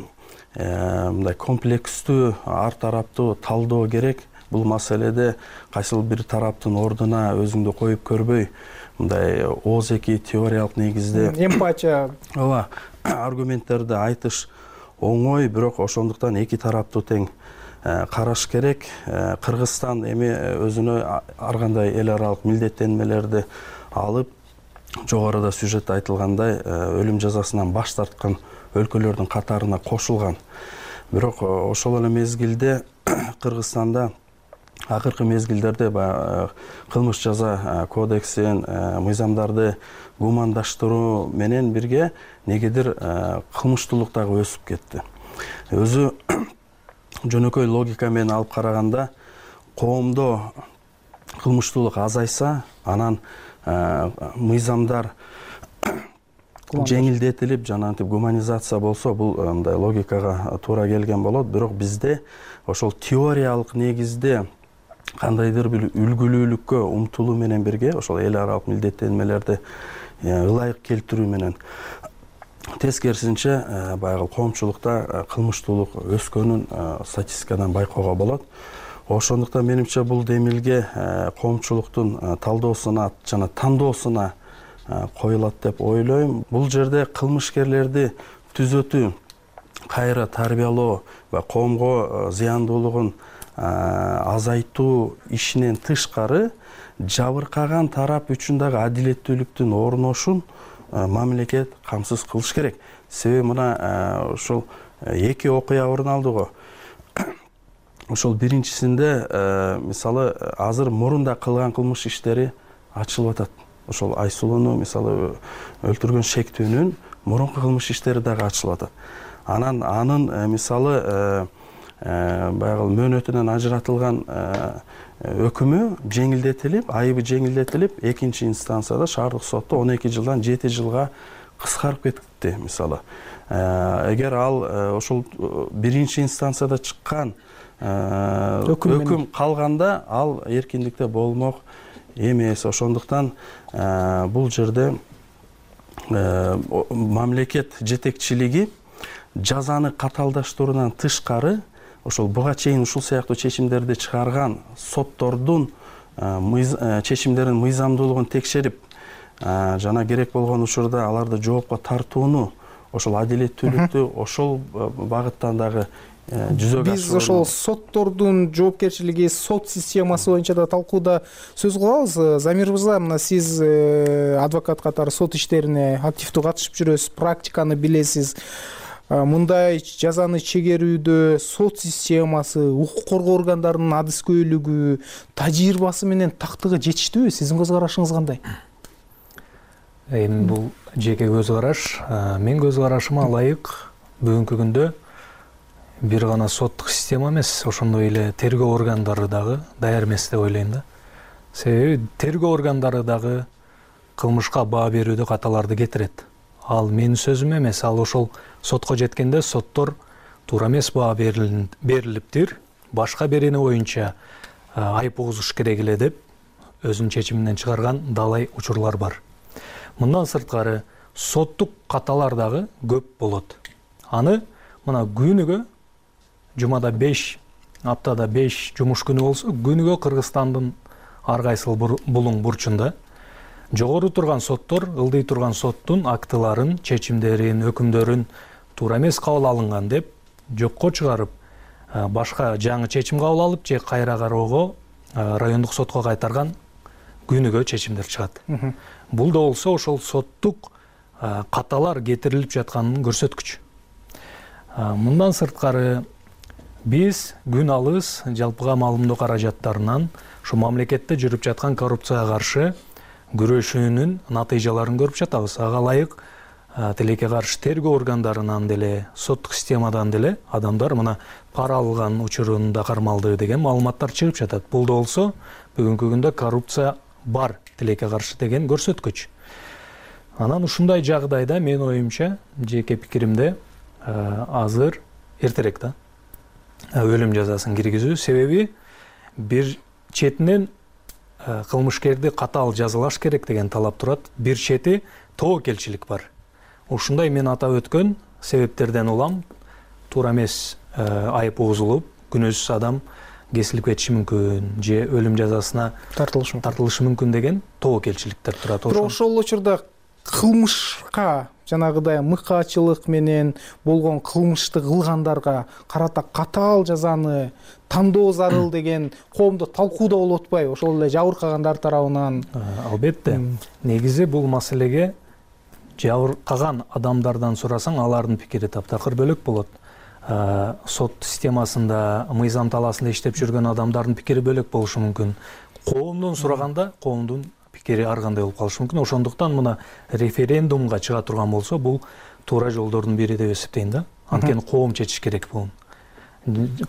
J: мындай комплекстүү, ар тараптуу талдоо керек. Бул маселеде кайсыл бир тараптын ордуна өзүңдү коюп көрбөй, мындай ооз-эки теориялык негизде
I: эмпатия,
J: ооба, аргументтерди айтыш оңой, бирок ошондуктан эки тараптуу тең караш керек. Кыргызстан эми өзүнө ар кандай эл аралык милдеттенмелерди алып, жогоруда сюжетте айтылгандай өлүм жазасынан баш тарткан өлкөлөрдүн катарына кошулган. Бирок ошол эле мезгилде Кыргызстанда акыркы мезгилдерде баягы кылмыш жаза кодексин, мыйзамдарды гумандаштыруу менен бирге негедир кылмыштуулук дагы өсүп кетти. Өзү жөнөкөй логика менен алып караганда, коомдо кылмыштуулук азайса, анан мыйзамдар жеңилдетилип, жанагынтип гуманизация болсо, бул мындай логикага туура келген болот. Бирок бизде ошол теориялык негизде кандайдыр бир үлгүлүүлүккө умтулуу менен бирге ошол эл аралык милдеттенмелерди ылайык келтирүү менен тескерисинче баягы коомчулукта кылмыштуулук өскөнүн статистикадан байкоого болот. Ошондуктан менимче бул демилге коомчулуктун талдоосуна жана тандоосуна коюлат деп ойлойм. Бул жерде кылмышкерлерди түзөтүү, кайра тарбиялоо ва коомго зыяндуулугун азайтуу ишинен тышкары жабыркаган тарап үчүн дагы адилеттүүлүктүн орношун мамлекет камсыз кылыш керек. Себеби мына ошол эки окуя орун алды го. Ошол биринчисинде мисалы азыр мурунда кылган кылмыш иштери ачылып атат. Ошол Айсулууну мисалы өлтүргөн шектүүнүн мурунку кылмыш иштери дагы ачылып атат. Анан анын мисалы баягы мөөнөтүнөн ажыратылган өкүмү жеңилдетилип, айыбы жеңилдетилип, экинчи инстанцияда шаардык сотто он эки жылдан жети жылга кыскарып кетти мисалы. Эгер ал ошол биринчи инстанцияда чыккан өкүм калганда, ал эркиндикте болмок эмес. Ошондуктан бул жерде мамлекет жетекчилиги жазаны каталдаштыруудан тышкары ошол буга чейин ушул сыяктуу чечимдерди чыгарган соттордун чечимдеринин мыйзамдуулугун текшерип, жана керек болгон учурда аларды жоопко тартууну, ошол адилеттүүлүктү ошол багыттан дагы жүзөгө
I: биз ошол соттордун жоопкерчилиги, сот системасы боюнча да талкууда сөз кылабыз. Замир мырза, мына сиз адвокат катары сот иштерине активдүү катышып жүрөсүз, практиканы билесиз. Мындай жазаны чегерүүдө сот системасы, укук коргоо органдарынын адыскөйлүгү, тажрыйбасы менен тактыгы жетиштүүбү? Сиздин көз карашыңыз кандай?
G: Эми бул жеке көз караш. Мен көз карашыма ылайык бүгүнкү күндө бир гана соттук система эмес, ошондой эле тергөө органдары дагы даяр эмес деп ойлойм да. Себеби тергөө органдары дагы кылмышка баа берүүдө каталарды кетирет. Ал менин сөзүм эмес, ал ошол сотко жеткенде соттор туура эмес баа берилиптир, башка берени боюнча айып угузуш керек эле деп өзүнүн чечиминен чыгарган далай учурлар бар. Мындан сырткары соттук каталар дагы көп болот. Аны мына күнүгө, жумада беш, аптада беш жумуш күнү болсо, күнүгө Кыргызстандын ар кайсыл булуң бурчунда жогору турган соттор, ылдый турган соттун актыларын, чечимдерин, өкүмдөрүн туура эмес кабыл алынган деп жокко чыгарып, башка жаңы чечим кабыл алып, же кайра кароого райондук сотко кайтарган күнүгө чечимдер чыгат. Бул да болсо ошол соттук каталар кетирилип жатканын көрсөткүч. Мындан сырткары биз күн алыс жалпыга маалымдоо каражаттарынан ушу мамлекетте жүрүп жаткан коррупцияга каршы күрөшүүнүн натыйжаларын көрүп жатабыз. Ага ылайык тилекке каршы тергөө органдарынан деле, соттук системадан деле адамдар мына пара алган учурунда кармалды деген маалыматтар чыгып жатат. Бул да болсо бүгүнкү күндө коррупция бар тилекке каршы деген көрсөткүч. Анан ушундай жагдайда менин оюмча, жеке пикиримде, азыр эртерээк да өлүм жазасын киргизүү. Себеби бир четинен кылмышкерди катаал жазалаш керек деген талап турат, бир чети тобокелчилик бар. Ушундай мен атап өткөн себептерден улам туура эмес айып угузулуп, күнөөсүз адам кесилип кетиши мүмкүн, же өлүм жазасына тартылышы мүмкүн деген тобокелчиликтер турат.
I: Бирок ошол учурда кылмышка жанагыдай мыкаачылык менен болгон кылмышты кылгандарга карата катаал жазаны тандоо зарыл деген коомдо талкуу да болуп атпайбы ошол эле жабыркагандар тарабынан?
G: Албетте. Негизи бул маселеге жабыркаган адамдардан сурасаң, алардын пикири таптакыр бөлөк болот. Сот системасында, мыйзам талаасында иштеп жүргөн адамдардын пикири бөлөк болушу мүмкүн. Коомдон сураганда, коомдун пикири ар кандай болуп калышы мүмкүн. Ошондуктан мына референдумга чыга турган болсо, бул туура жолдордун бири деп эсептейм да. Анткени коом чечиш керек бул.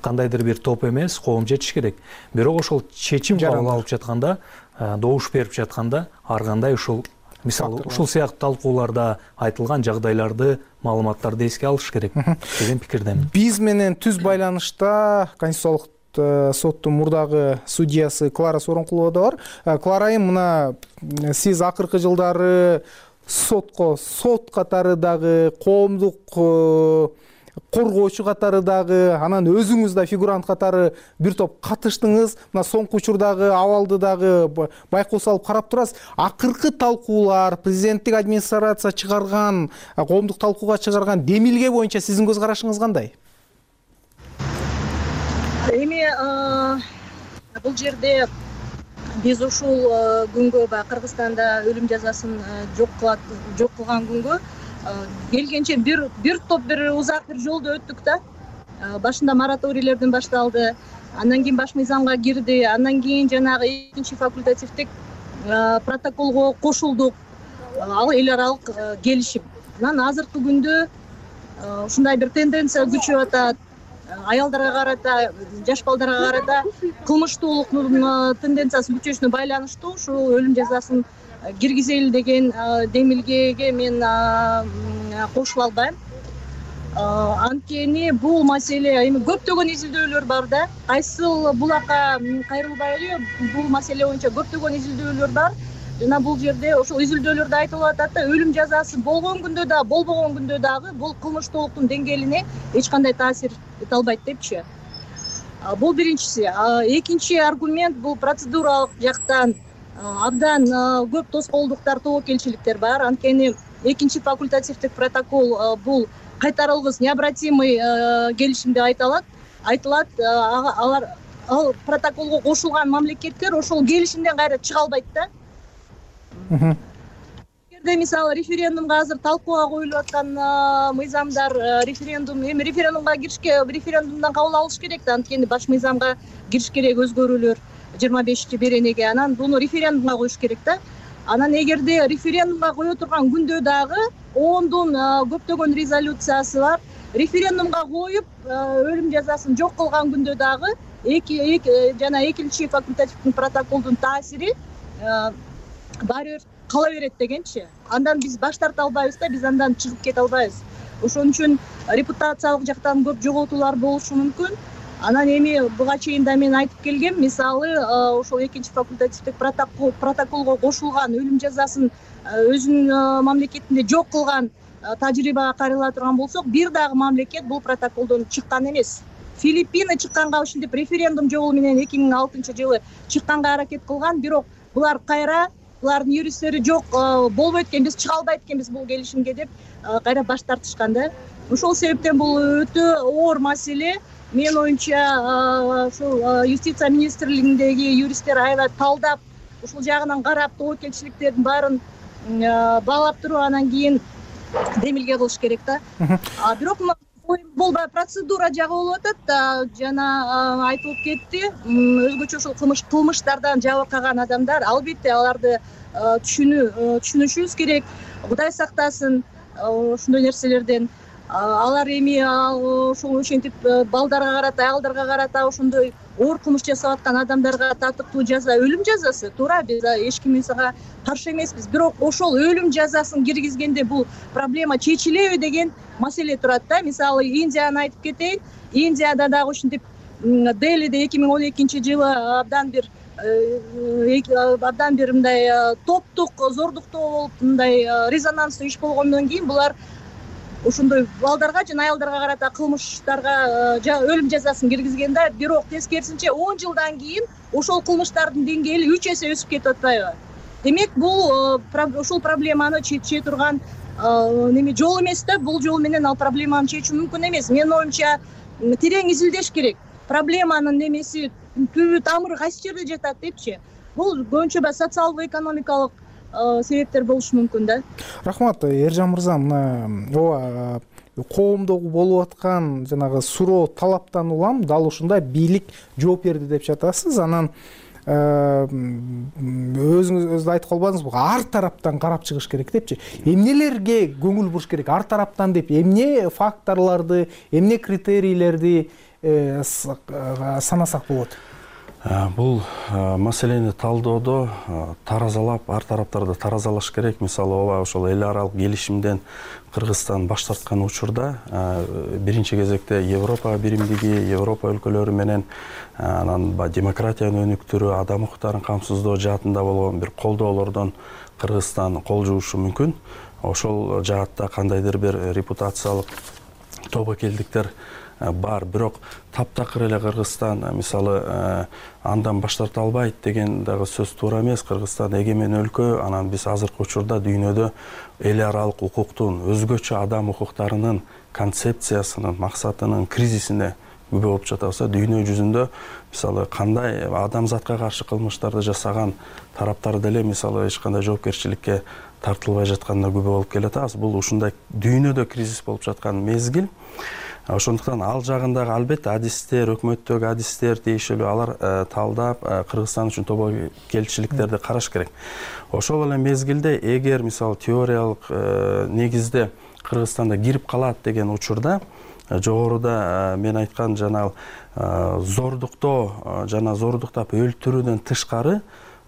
G: Кандайдыр бир топ эмес, коом чечиш керек. Бирок ошол чечим кабыл алып жатканда, добуш берип жатканда, ар кандай ушул мисалы ушул сыяктуу талкууларда айтылган жагдайларды, маалыматтарды эске алыш керек деген пикирдемин.
I: Биз менен түз байланышта Конституциялык соттун мурдагы судьясы Клара Сооронкулова да бар. Клара айым, мына сиз акыркы жылдары сотко сот катары дагы, коомдук коргоочу катары дагы, анан өзүңүз да фигурант катары бир топ катыштыңыз. Мына соңку учурдагы абалды дагы байкоо салып карап турасыз. Акыркы талкуулар, президенттик администрация чыгарган, коомдук талкууга чыгарган демилге боюнча сиздин көз карашыңыз кандай?
K: Эми бул жерде биз ушул күнгө баягы Кыргызстанда өлүм жазасын жок кылат, жок кылган күнгө келгенче бир бир топ бир узак бир жолду өттүк да. Башында мораторийлерден башталды, андан кийин баш мыйзамга кирди, андан кийин жанагы экинчи факультативдик протоколго кошулдук. Ал эл аралык келишим. Анан азыркы күндө ушундай бир тенденция күчөп атат. Аялдарга карата, жаш балдарга карата кылмыштуулуктун тенденциясы күчөшүнө байланыштуу ушул өлүм жазасын киргизели деген демилгеге мен кошула албайм. Анткени бул маселе эми көптөгөн изилдөөлөр бар да. Кайсыл булакка кайрылбай эле бул маселе боюнча көптөгөн изилдөөлөр бар. Жана бул жерде ошол изилдөөлөрдө айтылып атат да, өлүм жазасы болгон күндө да, болбогон күндө дагы бул кылмыштуулуктун деңгээлине эч кандай таасир эте албайт депчи. Бул биринчиси. Экинчи аргумент бул процедуралык жактан абдан көп тоскоолдуктар, тобокелчиликтер бар. Анткени экинчи факультативдик протокол бул кайтарылгыс необратимый келишим деп айтылат. Айтылат, алар ал протоколго кошулган мамлекеттер ошол келишимден кайра чыга албайт да. Эгерде мисалы референдумга азыр талкууга коюлуп аткан мыйзамдар, референдум, эми референдумга киришке, референдумдан кабыл алыш керек да, анткени баш мыйзамга кириш керек өзгөрүүлөр жыйырма бешинчи беренеге, анан буну референдумга коюш керек да. Анан эгерде референдумга кое турган күндө дагы ондун көптөгөн резолюциясы бар. Референдумга коюп өлүм жазасын жок кылган күндө дагы эки жана экинчи факультативдик протоколдун таасири баары бир кала берет дегенчи. Андан биз баш тарта албайбыз да, биз андан чыгып кете албайбыз. Ошон үчүн репутациялык жактан көп жоготуулар болушу мүмкүн. Анан эми буга чейин да мен айтып келгем, мисалы ошол экинчи факультативдик протокол протоколго кошулган өлүм жазасын өзүнүн мамлекетинде жок кылган тажрыйбага кайрыла турган болсок, бир дагы мамлекет бул протоколдон чыккан эмес. Филиппины чыкканга ушинтип референдум жолу менен эки миң алтынчы жылы чыкканга аракет кылган, бирок булар кайра, булардын юристтери жок, болбойт экен, биз чыга албайт экенбиз бул келишимге деп кайра баш тартышкан да. Ошол себептен бул өтө оор маселе. Мен оюнча ушул юстиция министрлигиндеги юристтер аябай талдап, ушул жагынан карап, тобокелчиликтердин баарын баалап туруп, анан кийин демилге кылыш керек да. Бирок бул процедура жагы болуп атат да, жана айтылып кетти. Өзгөчө ушул кылмыш кылмыштардан жабыркаган адамдар, албетте аларды түшүнүү түшүнүшүбүз керек. Кудай сактасын ушундай нерселерден. Алар эми ошол ошентип балдарга карата, аялдарга карата ошондой оор кылмыш жасап аткан адамдарга татыктуу жаза өлүм жазасы. Туура, биз эч ким ага каршы эмеспиз. Бирок ошол өлүм жазасын киргизгенде бул проблема чечилеби деген маселе турат да. Мисалы Индияны айтып кетейин. Индияда дагы ошентип Делиде эки миң он экинчи жылы абдан бир абдан бир мындай топтук зордуктоо болуп, мындай резонанстуу иш болгондон кийин булар ошондой балдарга жана аялдарга карата кылмыштарга өлүм жазасын киргизген да. Бирок тескерисинче он жылдан кийин ошол кылмыштардын деңгээли үч эсе өсүп кетип атпайбы? Демек бул ушул проблеманы чече турган неме жол эмес да, бул жол менен ал проблеманы чечүү мүмкүн эмес. Менин оюмча терең изилдеш керек. Проблеманын немеси түбү тамыры кайсы жерде жатат депчи. Бул көбүнчө баягы социалдык экономикалык себептер болушу мүмкүн да.
I: Рахмат, Эржан мырза. Мына ооба коомдогу болуп аткан жанагы суроо талаптан улам дал ушундай бийлик жооп берди деп жатасыз. Анан өзүңүз айтып калбадыңызбы, ар тараптан карап чыгыш керек депчи. Эмнелерге көңүл буруш керек ар тараптан деп, эмне факторлорду, эмне критерийлерди санасак болот?
J: Бул маселени талдоодо таразалап, ар тараптарды таразалаш керек. Мисалы, ооба ошол эл аралык келишимден Кыргызстан баш тарткан учурда биринчи кезекте Европа биримдиги, Европа өлкөлөрү менен анан демократиянын өнүктүрүү, адам укуктарын камсыздоо жаатында болгон бир колдоолордон Кыргызстан кол жуушу мүмкүн. Ошол жаатта кандайдыр бир репутациялык тобокелдиктер бар, бирок таптакыр эле Кыргызстан мисалы андан баш тарта албайт деген дагы сөз туура эмес. Кыргызстан эгемен өлкө, анан биз азыркы учурда дүйнөдө эл аралык укуктун, өзгөчө адам укуктарынын концепциясынын, максатынын кризисине күбө болуп жатабыз. Дүйнө жүзүндө мисалы кандай адамзатка каршы кылмыштарды жасаган тараптар деле мисалы эч кандай жоопкерчиликке тартылбай жатканына күбө болуп келатабыз. Бул ушундай дүйнөдө кризис болуп жаткан мезгил. Ошондуктан ал жагындагы албетте адистер, өкмөттөгү адистер тиешелүү алар талдап Кыргызстан үчүн тобокелчиликтерди караш керек. Ошол эле мезгилде эгер мисалы теориялык негизде Кыргызстанда кирип калат деген учурда жогоруда мен айткан жана зордуктоо жана зордуктап өлтүрүүдөн тышкары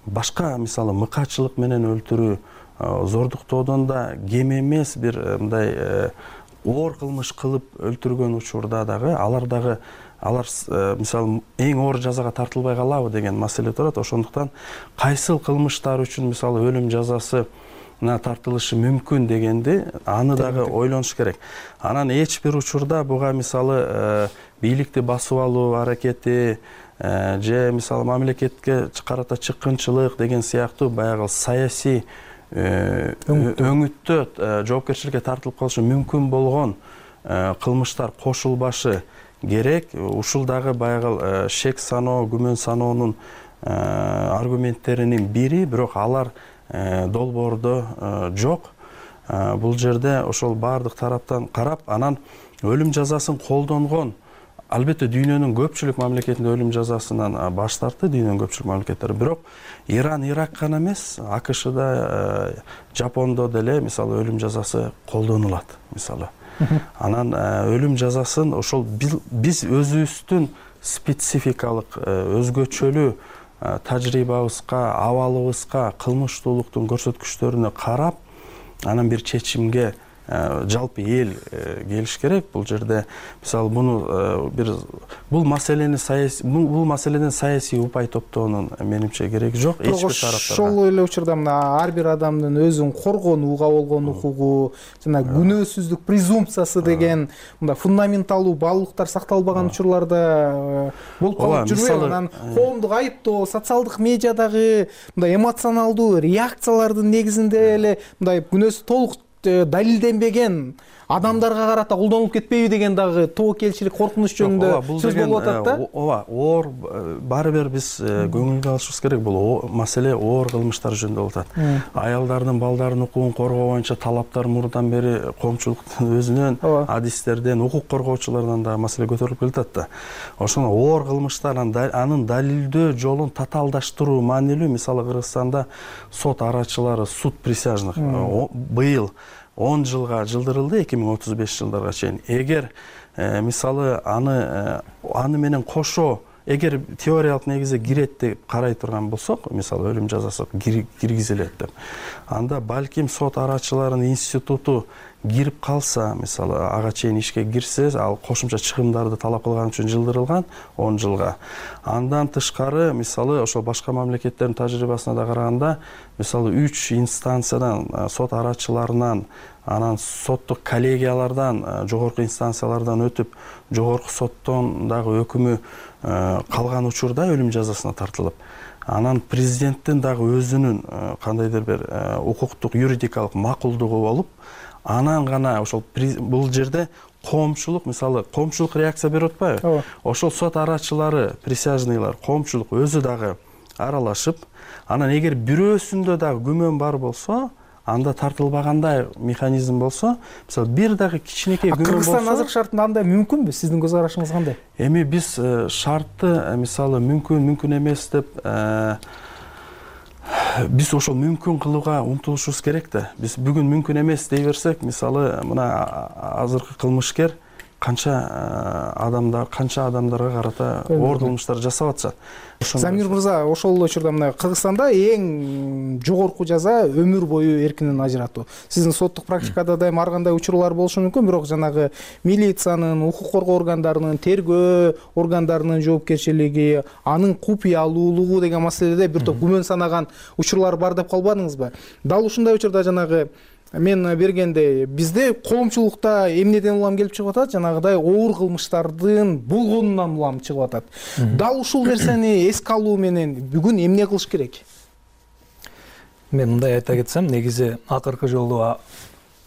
J: башка мисалы мыкаачылык менен өлтүрүү, зордуктоодон да кем эмес бир мындай оор кылмыш кылып өлтүргөн учурда дагы алар дагы алар мисалы эң оор жазага тартылбай калабы деген маселе турат. Ошондуктан кайсыл кылмыштар үчүн мисалы өлүм жазасы тартылышы мүмкүн дегенди аны дагы ойлонуш керек. Анан эч бир учурда буга мисалы бийликти басып алуу аракети же мисалы мамлекетке карата чыккынчылык деген сыяктуу баягы саясий өңүттө жоопкерчиликке тартылып калышы мүмкүн болгон кылмыштар кошулбашы керек. Ушул дагы баягы шек саноо, күмөн саноонун аргументтеринин бири, бирок алар долбоордо жок. Бул жерде ошол баардык тараптан карап, анан өлүм жазасын колдонгон албетте дүйнөнүн көпчүлүк мамлекетинде өлүм жазасынан баш тартты, дүйнөнүн көпчүлүк мамлекеттери. Бирок Иран, Ирак гана эмес, АКШда, Жапондо деле мисалы өлүм жазасы колдонулат мисалы. Анан өлүм жазасын ошол биз өзүбүздүн спецификалык өзгөчөлүү тажрыйбабызга, абалыбызга, кылмыштуулуктун көрсөткүчтөрүнө карап, анан бир чечимге жалпы эл келиш керек. Бул жерде мисалы буну бир бул маселени саясий бул маселеден саясий упай топтоонун менимче кереги жок эч бир тараптарга.
I: Ошол эле учурда мына ар бир адамдын өзүн коргонууга болгон укугу, жана күнөөсүздүк презумпциясы деген мындай фундаменталдуу баалуулуктар сакталбаган учурларда болуп калып жүрбөйбү? Анан коомдук айыптоо, социалдык медиадагы мындай эмоционалдуу реакциялардын негизинде эле мындай күнөөсү толук далилденбеген адамдарга карата колдонулуп кетпейби деген дагы тобокелчилик коркунуч жөнүндө сөз болуп атат да.
J: Ооба, оор баары бир биз көңүлгө алышыбыз керек. Бул маселе оор кылмыштар жөнүндө болуп атат. Аялдардын, балдардын укугун коргоо боюнча талаптар мурдан бери коомчулуктун өзүнөн, адистерден, укук коргоочулардан дагы маселе көтөрүлүп келатат да. Ошондо оор кылмыштар анын далилдөө жолун татаалдаштыруу маанилүү. Мисалы Кыргызстанда сот арачылары, суд присяжных быйыл он жылга жылдырылды, эки миң отуз беш жылдарга чейин. Эгер мисалы аны аны менен кошо эгер теориялык негизде кирет деп карай турган болсок, мисалы өлүм жазасы киргизилет деп, анда балким сот арачыларынын институту кирип калса, мисалы ага чейин ишке кирсе, ал кошумча чыгымдарды талап кылган үчүн жылдырылган он жылга. Андан тышкары мисалы ошол башка мамлекеттердин тажрыйбасына да караганда, мисалы үч инстанциядан, сот арачыларынан, анан соттук коллегиялардан, жогорку инстанциялардан өтүп, жогорку соттон дагы өкүмү калган учурда өлүм жазасына тартылып, анан президенттин дагы өзүнүн кандайдыр бир укуктук юридикалык макулдугу болуп, анан гана ошол бул жерде коомчулук, мисалы коомчулук реакция берип атпайбы, ошол сот арачылары, присяжныйлар, коомчулук өзү дагы аралашып, анан эгер бирөөсүндө дагы күмөн бар болсо, анда тартылбагандай механизм болсо, мисалы бир дагы кичинекей күмөн болсо,
I: Кыргызстан азыркы шартында андай мүмкүнбү? Сиздин көз карашыңыз кандай?
J: Эми биз шартты мисалы мүмкүн, мүмкүн эмес деп биз ошол мүмкүн кылууга умтулушубуз керек да. Биз бүгүн мүмкүн эмес дей берсек, мисалы мына азыркы кылмышкер канча адамдар, канча адамдарга карата оор кылмыштар жасап атышат.
I: Замир мырза, ошол эле учурда мына Кыргызстанда эң жогорку жаза өмүр бою эркинен ажыратуу. Сиздин соттук практикада дайым ар кандай учурлар болушу мүмкүн, бирок жанагы милициянын, укук коргоо органдарынын, тергөө органдарынын жоопкерчилиги, анын купуялуулугу деген маселеде бир топ күмөн санаган учурлар бар деп калбадыңызбы? Дал ушундай учурда жанагы мен бергенде бизде коомчулукта эмнеден улам келип чыгып атат? Жанагыдай оор кылмыштардын болгонунан улам чыгып атат. Дал ушул нерсени эске алуу менен бүгүн эмне кылыш керек?
G: Мен мындай айта кетсем, негизи акыркы жолу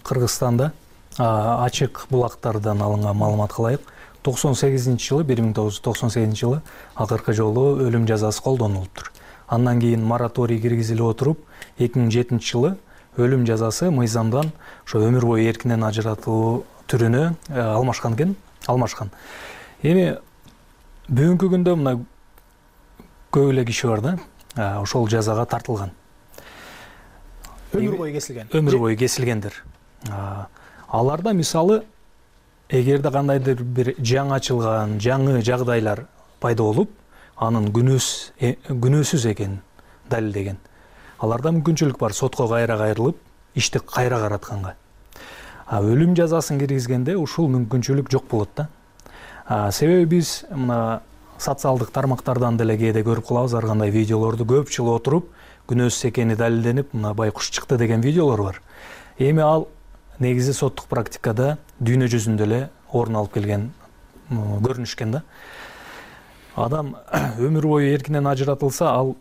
G: Кыргызстанда ачык булактардан алынган маалыматка ылайык токсон сегизинчи жылы, бир миң тогуз жүз токсон сегизинчи жылы акыркы жолу өлүм жазасы колдонулуптур. Андан кийин мораторий киргизилип отуруп, эки миң жетинчи жылы өлүм жазасы мыйзамдан ошо өмүр бою эркинен ажыратуу түрүнө алмашкан экен, алмашкан. Эми бүгүнкү күндө мына көп эле киши бар да, ошол жазага тартылган.
I: Өмүр бою кесилген.
G: Өмүр бою кесилгендер. Аларда мисалы эгерде кандайдыр бир жаңы ачылган, жаңы жагдайлар пайда болуп, анын күнөөсүз экенин далилдеген, аларда мүмкүнчүлүк бар сотко кайра кайрылып, ишти кайра каратканга. Өлүм жазасын киргизгенде ушул мүмкүнчүлүк жок болот да. Себеби биз мына социалдык тармактардан деле кээде көрүп калабыз, ар кандай видеолорду көп жыл отуруп, күнөөсүз экени далилденип, мына байкуш чыкты деген видеолор бар. Эми ал негизи соттук практикада дүйнө жүзүндө эле орун алып келген көрүнүш экен да. Адам өмүр бою эркинен ажыратылса, ал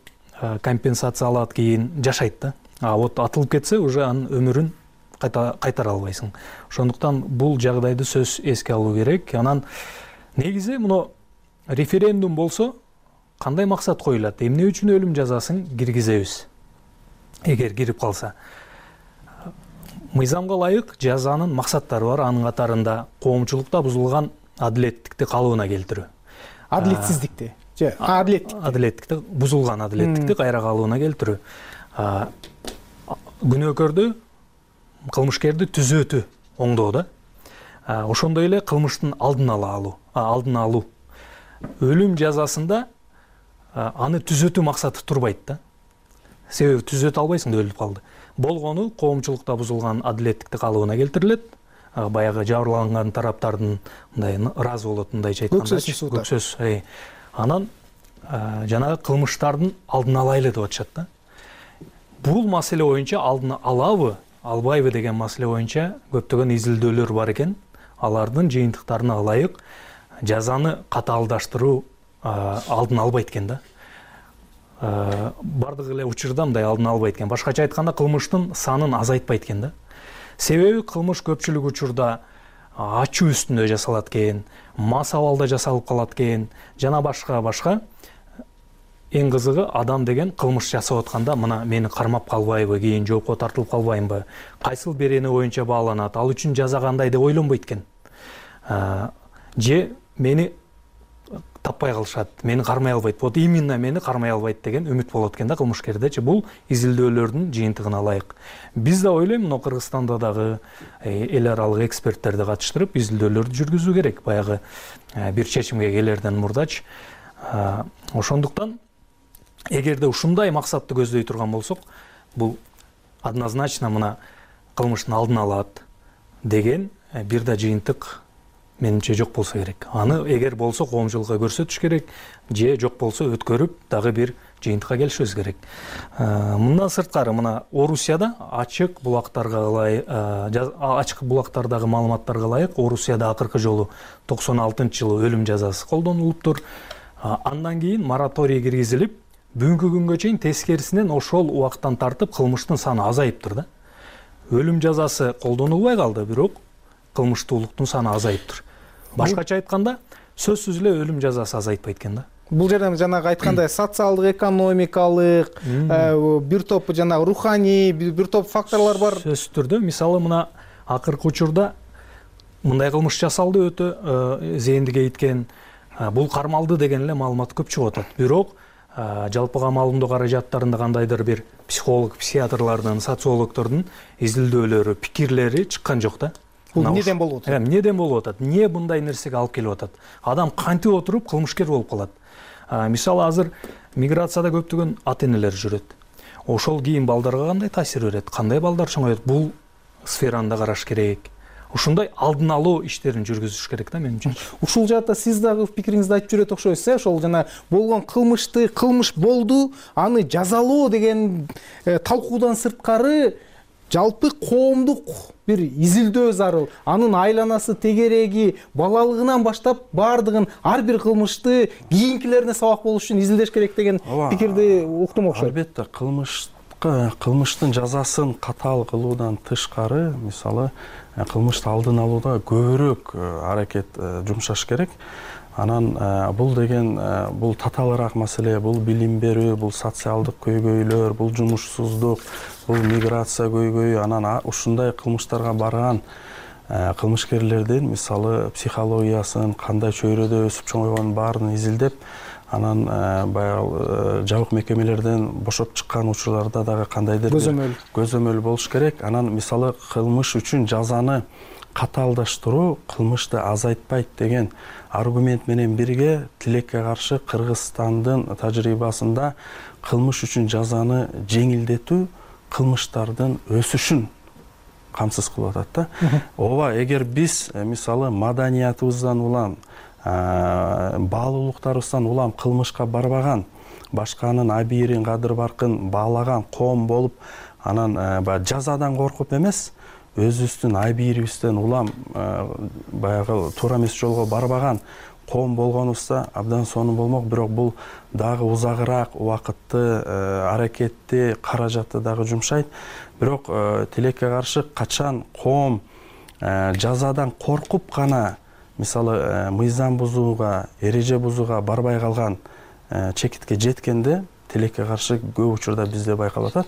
G: компенсация алат, кийин жашайт да. А вот атылып кетсе, уже анын өмүрүн кайта кайтара албайсың. Ошондуктан бул жагдайды сөз эске алуу керек. Анан негизи муну референдум болсо, кандай максат коюлат? Эмне үчүн өлүм жазасын киргизебиз? Эгер кирип калса, мыйзамга ылайык жазанын максаттары бар. Анын катарында коомчулукта бузулган адилеттикти калыбына келтирүү.
I: Адилетсиздикти же адилеттикти
G: адилеттикти бузулган адилеттикти кайра калыбына келтирүү. Күнөөкөрдү, кылмышкерди түзөтүү, оңдоо да. Ошондой эле кылмыштын алдын алуу, алдын алуу. Өлүм жазасында аны түзөтүү максаты турбайт да. Себеби түзөтө албайсың да, өлүп калды. Болгону коомчулукта бузулган адилеттикти калыбына келтирилет. Баягы жабырланган тараптардын мындай ыраазы болот, мындайча айтканда, көксөз. Анан жанагы кылмыштардын алдын алайлы деп атышат да. Бул маселе боюнча алдын алабы, албайбы деген маселе боюнча көптөгөн изилдөөлөр бар экен. Алардын жыйынтыктарына ылайык жазаны катаалдаштыруу алдын албайт экен да. Бардык эле учурда мындай алдын албайт экен. Башкача айтканда, кылмыштын санын азайтпайт экен да. Себеби кылмыш көпчүлүк учурда ачуу үстүндө жасалат экен, мас абалда жасалып калат экен, жана башка башка. Эң кызыгы, адам деген кылмыш жасап атканда мына мени кармап калбайбы, кийин жоопко тартылып калбаймбы, кайсыл берени боюнча бааланат, ал үчүн жаза кандай деп ойлонбойт экен. Же мени таппай калышат, мени кармай албайт. Вот именно мени кармай албайт деген үмүт болот экен да кылмышкердечи. Бул изилдөөлөрдүн жыйынтыгына ылайык. Биз да ойлойм, мына Кыргызстанда дагы эл аралык эксперттерди катыштырып изилдөөлөрдү жүргүзүү керек, баягы бир чечимге келерден мурдачы. Ошондуктан эгерде ушундай максатты көздөй турган болсок, бул однозначно мына кылмыштын алдын алат деген бир да жыйынтык менимче жок болсо керек. Аны эгер болсо коомчулукка көрсөтүш керек, же жок болсо өткөрүп дагы бир жыйынтыкка келишибиз керек. Мындан сырткары, мына Орусияда ачык булактарга ылайык, ачык булактардагы маалыматтарга ылайык, Орусияда акыркы жолу токсон алтынчы жылы өлүм жазасы колдонулуптур. Андан кийин мораторий киргизилип, бүгүнкү күнгө чейин тескерисинен ошол убактан тартып кылмыштын саны азайыптыр да. өлүм жазасы колдонулбай калды, бирок кылмыштуулуктун саны азайыптыр. Башкача айтканда, сөзсүз эле өлүм жазасы азайпайт экен да.
I: Бул жерде жанагы айткандай социалдык, экономикалык, бир топ жанагы руханий, бир топ факторлор бар.
G: Сөзсүз түрдө, мисалы мына акыркы учурда мындай кылмыш жасалды, өтө зээндик эйткен, бул кармалды деген эле маалымат көп чыгып атат. Бирок жалпыга маалымдоо каражаттарында кандайдыр бир психолог, психиатрлардын, социологдордун изилдөөлөрү, пикирлери чыккан жок да.
I: Бул эмнеден болуп атат?
G: Эмнеден болуп атат? Эмне мындай нерсеге алып келип атат? Адам кантип отуруп кылмышкер болуп калат? Мисалы азыр миграцияда көптөгөн ата-энелер жүрөт. Ошол кийин балдарга кандай таасир берет? Кандай балдар чоңойот? Бул сфераны да караш керек. Ушундай алдын алуу иштерин жүргүзүш керек да менимче.
I: Ушул жаатта сиз дагы пикириңизди айтып жүрөт окшойсуз, э? Ошол жана болгон кылмышты, кылмыш болду, аны жазалоо деген талкуудан сырткары жалпы коомдук бир изилдөө зарыл. Анын айланасы, тегереги, балалыгынан баштап баардыгын, ар бир кылмышты кийинкилерине сабак болуш үчүн изилдеш керек деген пикирди уктум окшойт.
J: Албетте, кылмышка, кылмыштын жазасын катаал кылуудан тышкары, мисалы, кылмышты алдын алууда көбүрөөк аракет жумшаш керек. Анан бул деген бул татаалыраак маселе, бул билим берүү, бул социалдык көйгөйлөр, бул жумушсуздук, бул миграция көйгөйү, анан ушундай кылмыштарга барган кылмышкерлердин мисалы психологиясын, кандай чөйрөдө өсүп чоңойгонун баарын изилдеп, анан баягы жабык мекемелерден бошоп чыккан учурларда дагы кандайдыр
I: көзөмөл
J: көзөмөл болуш керек. Анан мисалы кылмыш үчүн жазаны катаалдаштыруу кылмышты азайтпайт деген аргумент менен бирге тилекке каршы Кыргызстандын тажрыйбасында кылмыш үчүн жазаны жеңилдетүү кылмыштардын өсүшүн камсыз кылып атат да. Ооба, эгер биз мисалы маданиятыбыздан улам, баалуулуктарыбыздан улам кылмышка барбаган, башканын абийирин, кадыр баркын баалаган коом болуп, анан баягы жазадан коркуп эмес, өзүбүздүн абийирибизден улам баягы туура эмес жолго барбаган коом болгонубузда абдан сонун болмок. Бирок бул дагы узагыраак убакытты, аракетти, каражатты дагы жумшайт. Бирок тилекке каршы качан коом жазадан коркуп гана мисалы мыйзам бузууга, эреже бузууга барбай калган чекитке жеткенде тилекке каршы көп учурда бизде байкалып атат.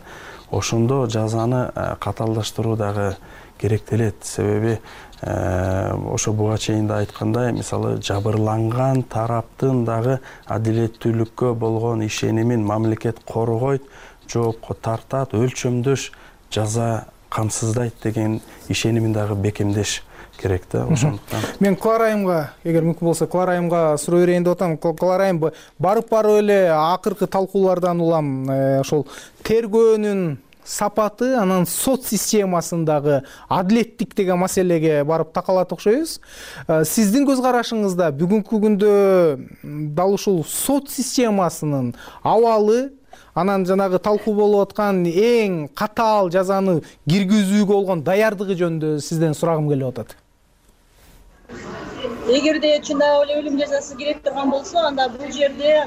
J: Ошондо жазаны катаалдаштыруу дагы керектелет. Себеби ошо буга чейин да айткандай, мисалы жабырланган тараптын дагы адилеттүүлүккө болгон ишенимин мамлекет коргойт, жоопко тартат, өлчөмдөш жаза камсыздайт деген ишенимин дагы бекемдеш керек да. Ошондуктан
I: мен Клара айымга, эгер мүмкүн болсо, Клара айымга суроо берейин деп атам. Клара айым, барып барып эле акыркы талкуулардан улам ошол тергөөнүн сапаты, анан сот системасындагы адилеттик деген маселеге барып такалат окшойбуз. Сиздин көз карашыңызда бүгүнкү күндө дал ушул сот системасынын абалы, анан жанагы талкуу болуп аткан эң катаал жазаны киргизүүгө болгон даярдыгы жөнүндө сизден сурагым келип атат.
K: Эгерде чындап эле өлүм жазасы керек турган болсо, анда бул жерде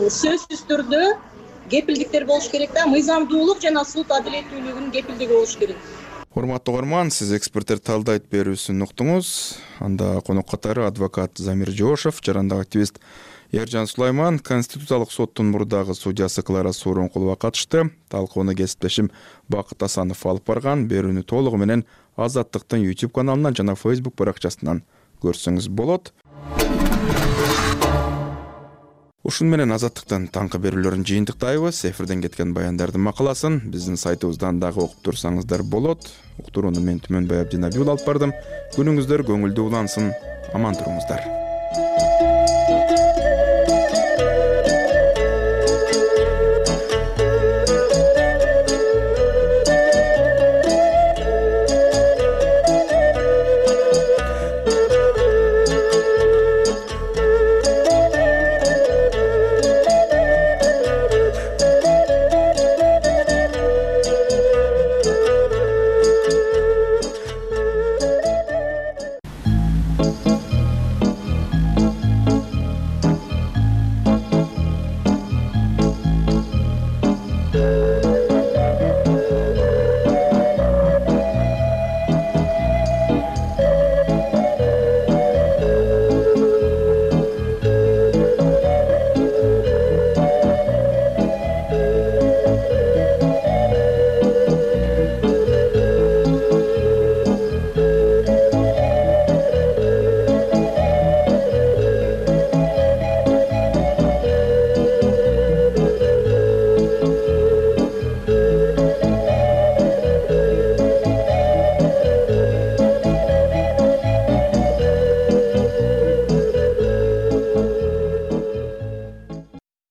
K: сөзсүз түрдө кепилдиктер болуш керек да, мыйзамдуулук жана суд адилеттүүлүгүнүн кепилдиги болуш керек.
B: Урматтуу угарман, сиз эксперттер талдайт берүүсүн уктуңуз. Анда конок катары адвокат Замир Жоошев, жарандык активист Эржан Сулайман, Конституциялык соттун мурдагы судьясы Клара Сооронкулова катышты. Талкууну кесиптешим Бакыт Асанов алып барган. Берүүнү толугу менен Азаттыктын YouTube каналынан жана Facebook баракчасынан көрсөңүз болот. Ушун менен Азаттыктын таңкы берүүлөрүн жыйынтыктайбыз. Эфирден кеткен баяндардын макаласын биздин сайтыбыздан дагы окуп турсаңыздар болот. Уктурууну мен Түмөнбай Абдинабиул алып бардым. Күнүңүздөр көңүлдүү улансын. Аман туруңуздар.